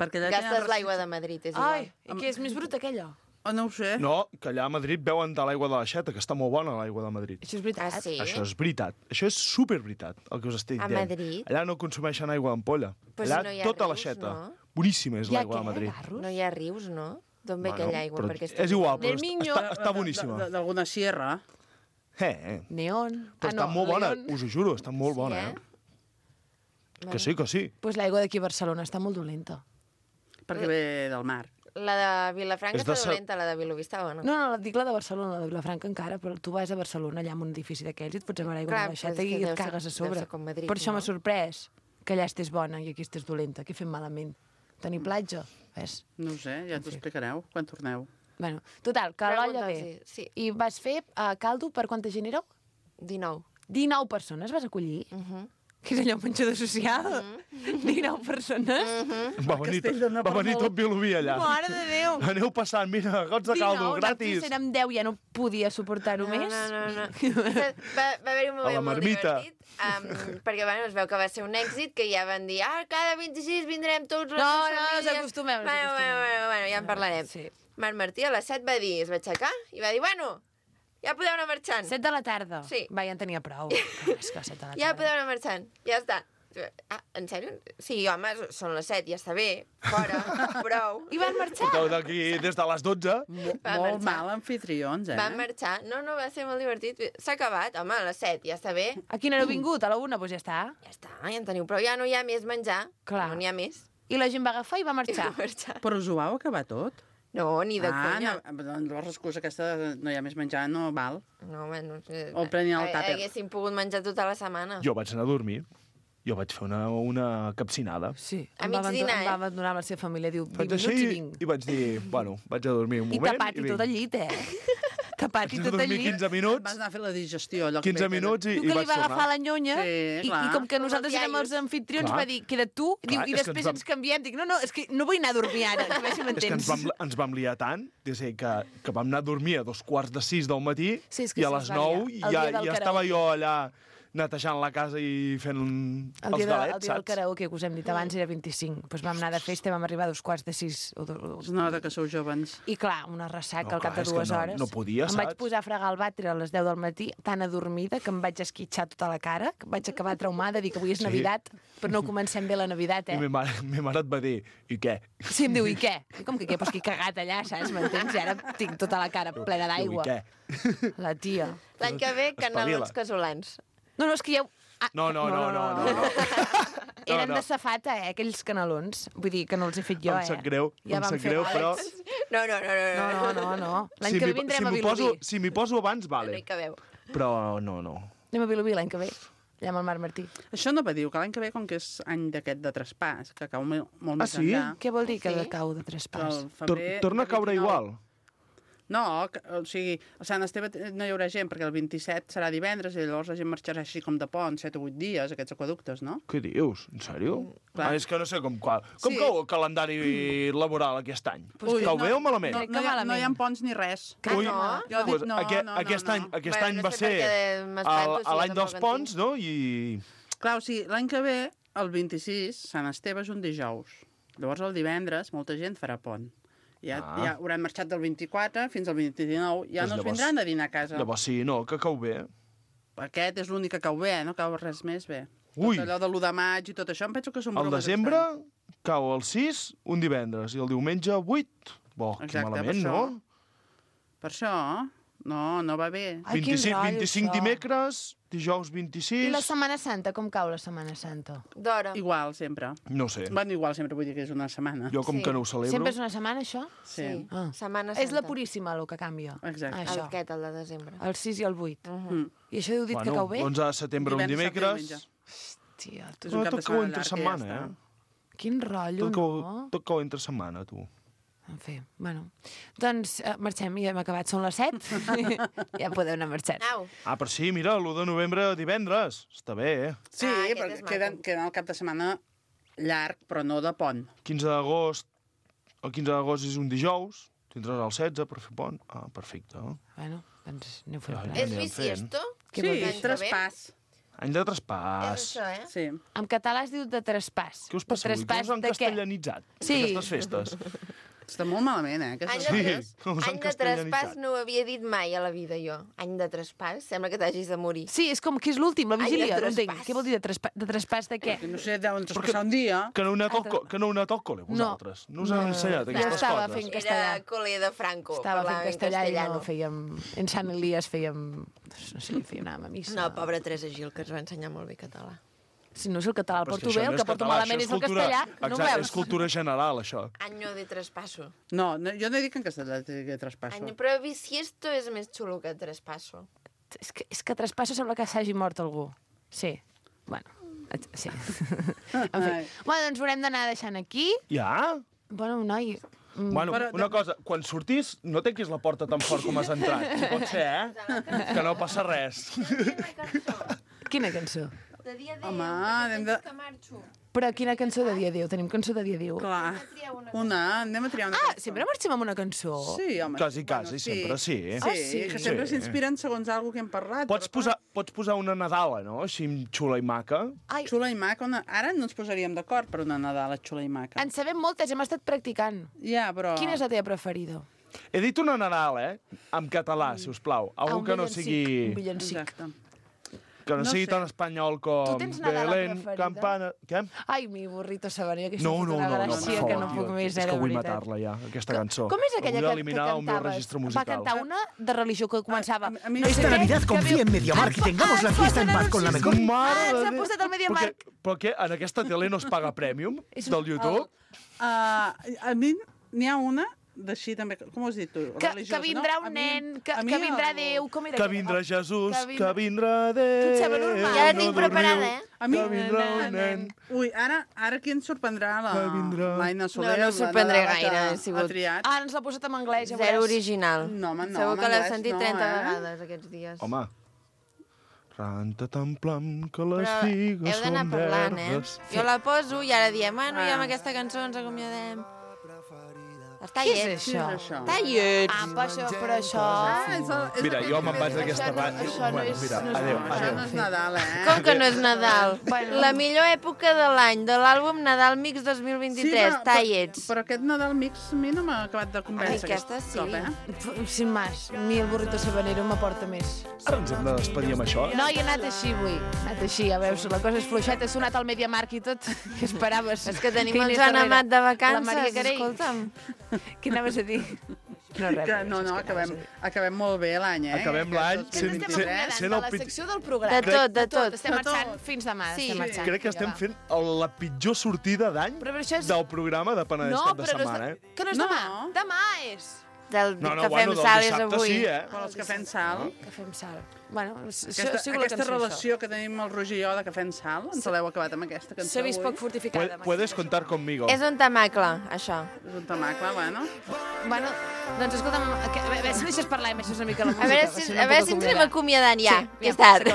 Perquè allà Gastes tenen l'aigua de Madrid, és igual. Ai, i que és més bruta aquella. Oh, no ho sé. No, que allà a Madrid beuen de l'aigua de l'aixeta, que està molt bona l'aigua de Madrid. Això és veritat. Ah, sí? Això és veritat. Això és superveritat, el que us estic A dient. Madrid? Allà no consumeixen aigua d'ampolla. Però Allà si no hi ha tota rius, l'aixeta. no? Boníssima és Hi ha l'aigua de què, Madrid. garros? No hi ha rius, no? D'on ve Bueno, aquella aigua? però Perquè està és igual, Del però Miño. està boníssima. D'alguna sierra. Neon. Però està molt bona, León. us ho juro, està molt bona, eh? Que sí, que sí. Pues l'aigua d'aquí a Barcelona està molt dolenta. Perquè ve del mar. La de Vilafranca És de està sa- dolenta, la de Vilobí està bona. No, no, dic la de Barcelona, la de Vilafranca encara, però tu vas a Barcelona, allà en un edifici d'aquells, i et fots a veure aigua Clar, de l'aixeta però és i que et deu ser- cagues a deu sobre. ser com Madrid, Per això no? m'ha sorprès que allà estés bona i aquí estés dolenta. Què fem malament? Tenir platja? Ves? No ho sé, ja t'ho explicareu quan torneu. Bueno, total, que l'olla Pregunta'ls, ve. sí. I vas fer caldo per quanta gent éreu? 19. 19 persones vas acollir? Que és allò un menjador social? 19 persones? Va venir, castell de va venir tot Vilobí allà. Mare de Déu! Aneu passant, mira, gots de caldo, 19, gratis. nosaltres érem 10, ja no podia suportar-ho No, més. no. Va haver-hi un A la moment molt marmita. divertit, perquè bueno, es veu que va ser un èxit, que ja van dir, cada 26 vindrem tots les No, no, famílies. ens acostumem, ens Bueno, ja en parlarem. Sí. Marc Martí a les 7 va dir, es va aixecar i va dir, bueno, ja podeu anar marxant. 7 de la tarda? Sí. Va, ja en tenia prou. És que 7 de la tarda. Ja podeu anar marxant, ja està. Ah, en sèrio? Sí, home, són les 7, ja està bé, fora, prou. I van marxar? Porteu d'aquí des de les 12. Va Molt marxar. mal anfitrions, eh? Van marxar. No, va ser molt divertit. S'ha acabat, home, a les 7, ja està bé. A quina heu vingut? A la 1? Doncs ja està. Ja està, ja en teniu prou. Ja no hi ha més menjar. Clar. No n'hi ha més. I la gent va agafar i va I marxar. va marxar. Però us ho vau acabar tot? No, ni de conya. no, doncs l'excusa aquesta de no hi ha més menjar no val. No, home, no sé. O prenien el tàper. Haguéssim pogut menjar tota la setmana. Jo vaig anar a dormir. Jo vaig fer una capcinada. Sí. A Em mig va dinar, em va abandonar amb la seva família. Diu, 20 Vaig minuts així i vinc. i vaig dir, bueno, vaig a dormir un I moment. tapat i tot al llit, eh? Tapat i Vaig tot al dormir llit. 15 minuts, Vas anar a fer la digestió. Allò que 15 ve- minuts i Diu que li vaig va agafar tornar. la nyonya Sí, i clar. com que Com nosaltres els érem els iaios. anfitrions Clar. va dir, queda't tu, diu, Clar, i és que després ens vam- ens canviem. Dic, no, és que no vull anar a dormir ara, que a veure si És que m'entens. ens vam liar tant, que vam anar a dormir a 2:45 del matí Sí, és que i a se'ns les va 9 liar. El ja, dia del ja estava karaoke. jo allà netejant la casa i fent El els dia, el galets, dia del saps? karaoke, que us hem dit abans, era 25. Doncs vam anar de festa i vam arribar a 2:45. Es nota que sou joves. I clar, una ressaca No, al cap clar, de és que 2 no- hores. no podia, em vaig saps? posar a fregar el vàter a les 10 del matí, tan adormida, que em vaig esquitxar tota la cara, que vaig acabar traumada, dir que avui és Sí. Navidad, però no comencem bé la Navidad, I eh? ma mare et va dir, i què? Sí, em diu, i què? I com que què? Pues que he cagat allà, saps? M'entens? I ara tinc tota la cara plena d'aigua. Diu, i què? La tia. L'any que ve, Espavila. canelons casolans. No, és que ja... No. Eren no. de safata, aquells canelons. Vull dir que no els he fet jo, Em sap greu, Ja em vam sap fer greu, però... Àlex. No. L'any que ve vindrem a Vilobí. Si m'hi poso abans, No vale. hi cabeu. Però no. Anem a Vilobí l'any que ve, allà amb el Marc Martí. Això no va dir que l'any que ve, com que és any d'aquest de traspàs, que cau molt més sí? enllà... Què vol dir que Sí. cau de tres pas? el febrer, Torna a caure 29. igual. No, o sigui, a Sant Esteve no hi haurà gent, perquè el 27 serà divendres i llavors la gent marxarà així com de pont, 7 o 8 dies, aquests aquaductes, no? Què dius? En sèrio? Clar. És que no sé com Sí. cau el calendari laboral aquest any. Cau bé o malament? Crec que No hi ha malament. ponts ni res. Ah, Crec que no? malament. Jo dic, no, Aquest any Bueno, any no va sé ser perquè m'espanto si l'any jo dels tampoc en ponts, tinc. no? I... Clar, o sigui, l'any que ve, el 26, Sant Esteve és un dijous. Llavors el divendres molta gent farà pont. Ja hauran marxat del 24 fins al 29, ja Doncs no es llavors- vindran a dinar a casa. Llavors sí, no, que cau bé. Aquest és l'únic que cau bé, no cau res més bé. Ui. Tot allò de l'1 de maig i tot això, em penso que són Al bromes desembre estranyes. cau el 6, un divendres, i el diumenge 8. Bo, que Exacte, malament, per no? això. Per això, No va bé. Ai, quin 25 rotllo, això. dimecres, dijous 26... I la Setmana Santa, com cau la Setmana Santa? D'hora. Igual, sempre. No sé. Bueno, igual sempre vull dir que és una setmana. Jo com Sí. que no ho celebro... Sempre és una setmana, això? Sí. Ah. Setmana Santa. És la Puríssima, el que canvia. Exacte. Ah, El això. aquest, el de desembre. El 6 i el 8. Mm. I això heu dit que cau bé? l'11 de setembre, un Divendres, dimecres... diumenge. Hòstia, És un cap de tot cau setmana entre llarg, setmana, ja eh? quin rotllo, no? Tot cau entre setmana, tu. En fi, bueno. Doncs marxem, ja hem acabat, són les 7. Ja podeu anar marxant. Au. Ah, però sí, mira, l'1 de novembre, divendres. Està bé, eh? Sí, aquest però és queda el cap de setmana llarg, però no de pont. 15 d'agost... El 15 d'agost és un dijous. Tindràs el 16 per fer pont. Ah, perfecte. Bueno, doncs aneu fent Ja, plans. ja. És anirem bisiesto? Què vol dir? L'any que ve? traspàs. Any de És traspàs. això, eh? Sí. En català es diu de traspàs. Què us passa avui? Que us han de què? castellanitzat? Sí. Aquestes festes. Està molt malament, Any aquestes... de, us han any de castellanitzat. traspàs no ho havia dit mai a la vida, jo. Any de traspàs? Sembla que t'hagis de morir. Sí, és com que és l'últim, la Ai, vigília. de No entenc. traspàs. Què vol dir de traspàs? De traspàs de què? No sé, deuen traspassar un dia. Que no heu anat al cole, vosaltres? No us han ensenyat Jo aquestes estava coses? fent castellà. Era col·le de Franco. Estava fent parlava en castellà i no castellano. fèiem... En Sant Elies fèiem... No sé, anàvem a missa. No, pobra Teresa Gil, que ens va ensenyar molt bé català. Si no és el català, el Però és que porto això bé, no el és que porto català, malament això és el cultura- castellà. No ho Exacte, veus? és cultura general, això. Año de traspasso. No, jo no dic en castellà que traspasso. Any, però bisiesto és més xulo que traspasso. És que traspassa sembla que s'hagi mort algú. Sí. Bueno, sí. En fi. Ai. Bueno, doncs ho haurem d'anar deixant aquí. Ja? Bueno, noi... Bueno, Però- una cosa, quan sortís, no tanquis la porta tan fort com has entrat. Si pot ser, eh? Que no passa res. Quina cançó? De dia Home, anem de... que marxo. Però quina cançó de dia Déu? Tenim cançó de dia Déu. Clar. Anem a triar una Ah, cançó. sempre marxem amb una cançó? Sí, home. Quasi, sempre, sí. Sí, Ah, sí? que sempre Sí. s'inspiren segons alguna que hem parlat. Pots posar una Nadala, no? Així xula i maca. Ai, Xula i maca. Ara no ens posaríem d'acord per una Nadala xula i maca. en sabem moltes, hem estat practicant. Ja, però... Quina és la teva preferida? He dit una Nadal, en català, si us plau. Algú un que no villancic, sigui... Un villancic. Exacte. Que no No sigui sé. tan espanyol com... Tu tens Nadala Belén, preferida? Campana... Què? Ai, mi burrito sabanero, aquesta No, fot no, una no, no, per gràcia favor, que no tio. puc més, És que de vull veritat. matar-la ja, aquesta cançó. Com és aquella Vull que eliminar del meu cantaves? registre Va musical. cantar una de religió que començava... a mi no sé esta què, Navidad que confía veu- en MediaMarkt y tengamos la fiesta en paz con la mejor. Mare Ah, de s'ha Déu. posat al MediaMarkt. Però què, en aquesta tele no es paga Premium del YouTube? A mi n'hi ha una d'així també, com ho has dit tu? Que vindrà un nen, que vindrà Déu, com era? Que vindrà Jesús, Que que vindrà Déu. Tu et sembla normal? Ja la tinc preparada, eh? A mi... Que vindrà un nen. Ui, ara qui ens sorprendrà? Que vindrà. L'Aina Soler. No sorprendré la Nadala gaire, que ha sigut- Ha triat. Ah, ens l'ha posat en anglès, ja Zero veuràs. original. No, home, no, Segur en que l'heu anglès sentit no, 30 eh? vegades aquests dies. Home. Ranta tan plam que les Però figues heu d'anar són parlant, verdes. Jo la poso i ara diem, bueno, ja amb Ah. aquesta cançó ens acomiadem. Està Què és lleig. això? Això. Està lleig. Ah, però això... Mira, jo me'n vaig d'aquesta ràdio. això no Bueno, és- mira, no és adéu, bo. Això adéu. no és Nadal, eh? Com que no és Nadal? Bueno. La millor època de l'any, de l'àlbum Nadal Mix 2023, tallets. Però aquest Nadal Mix a mi no m'ha acabat de convèncer. Ai, aquesta sí. Cop, eh? Sin más, ni el burrito sabanero m'aporta més. Ara ens hem de despedir amb això. No, i he anat així avui. He anat així, ja veus, la cosa és fluixeta. He sonat al MediaMarkt i tot. Què esperaves? És que tenim hi el anés Joan darrere? Amat de La vacances, Maria Carey. escolta'm. Què anaves a dir? No, res. Que, no, acabem molt bé l'any, eh? Acabem l'any Aquest sent- 2023. Estem sent de el la pit- secció del programa. De tot. Estem De marxant tot. fins demà. Sí. Estem marxant. Crec que estem Vinga, va. fent la pitjor sortida d'any Però això és... del programa de Penedès No, cap de però no setmana, és... eh? Que no és No. demà. Demà és. Del No, no, que bueno, fem del sal és dissabte avui. sí, eh? Per als que fem sal. Que fem sal. Bueno, Aquesta relació que tenim el Roger i jo de que fem sal, ens l'heu acabat amb aquesta cançó S'ha vist avui. poc fortificada. Puedes contar conmigo. És un tamacle, això. És un tamacle, bueno. Bueno, doncs escolta'm, a veure si deixes parlar i baixes una mica la música. A veure si ens anem acomiadant ja, que és tard.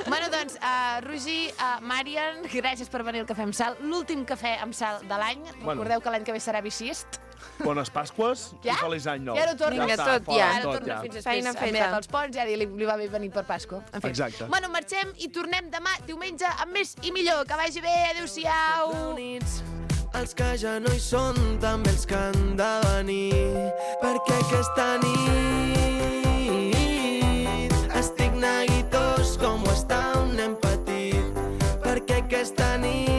Bueno, doncs, Roger, Marian, gràcies per venir al Cafè amb Sal. L'últim cafè amb sal de l'any. Bueno. Recordeu que l'any que ve serà biciest. Bones Pasques Ja? i feliç any nou. Ja no torna. Vinga, està, tot fora, ja. Ara tot torna ja. fins després. Feina Ha feta. mirat els ponts, ja li va bé venir per Pasco. En fi. Exacte. Bueno, marxem i tornem demà, diumenge, amb més i millor. Que vagi bé, adéu-siau. Els que ja no hi són, també els que han de venir, perquè aquesta nit estic neguitós com ho està un nen petit, perquè aquesta nit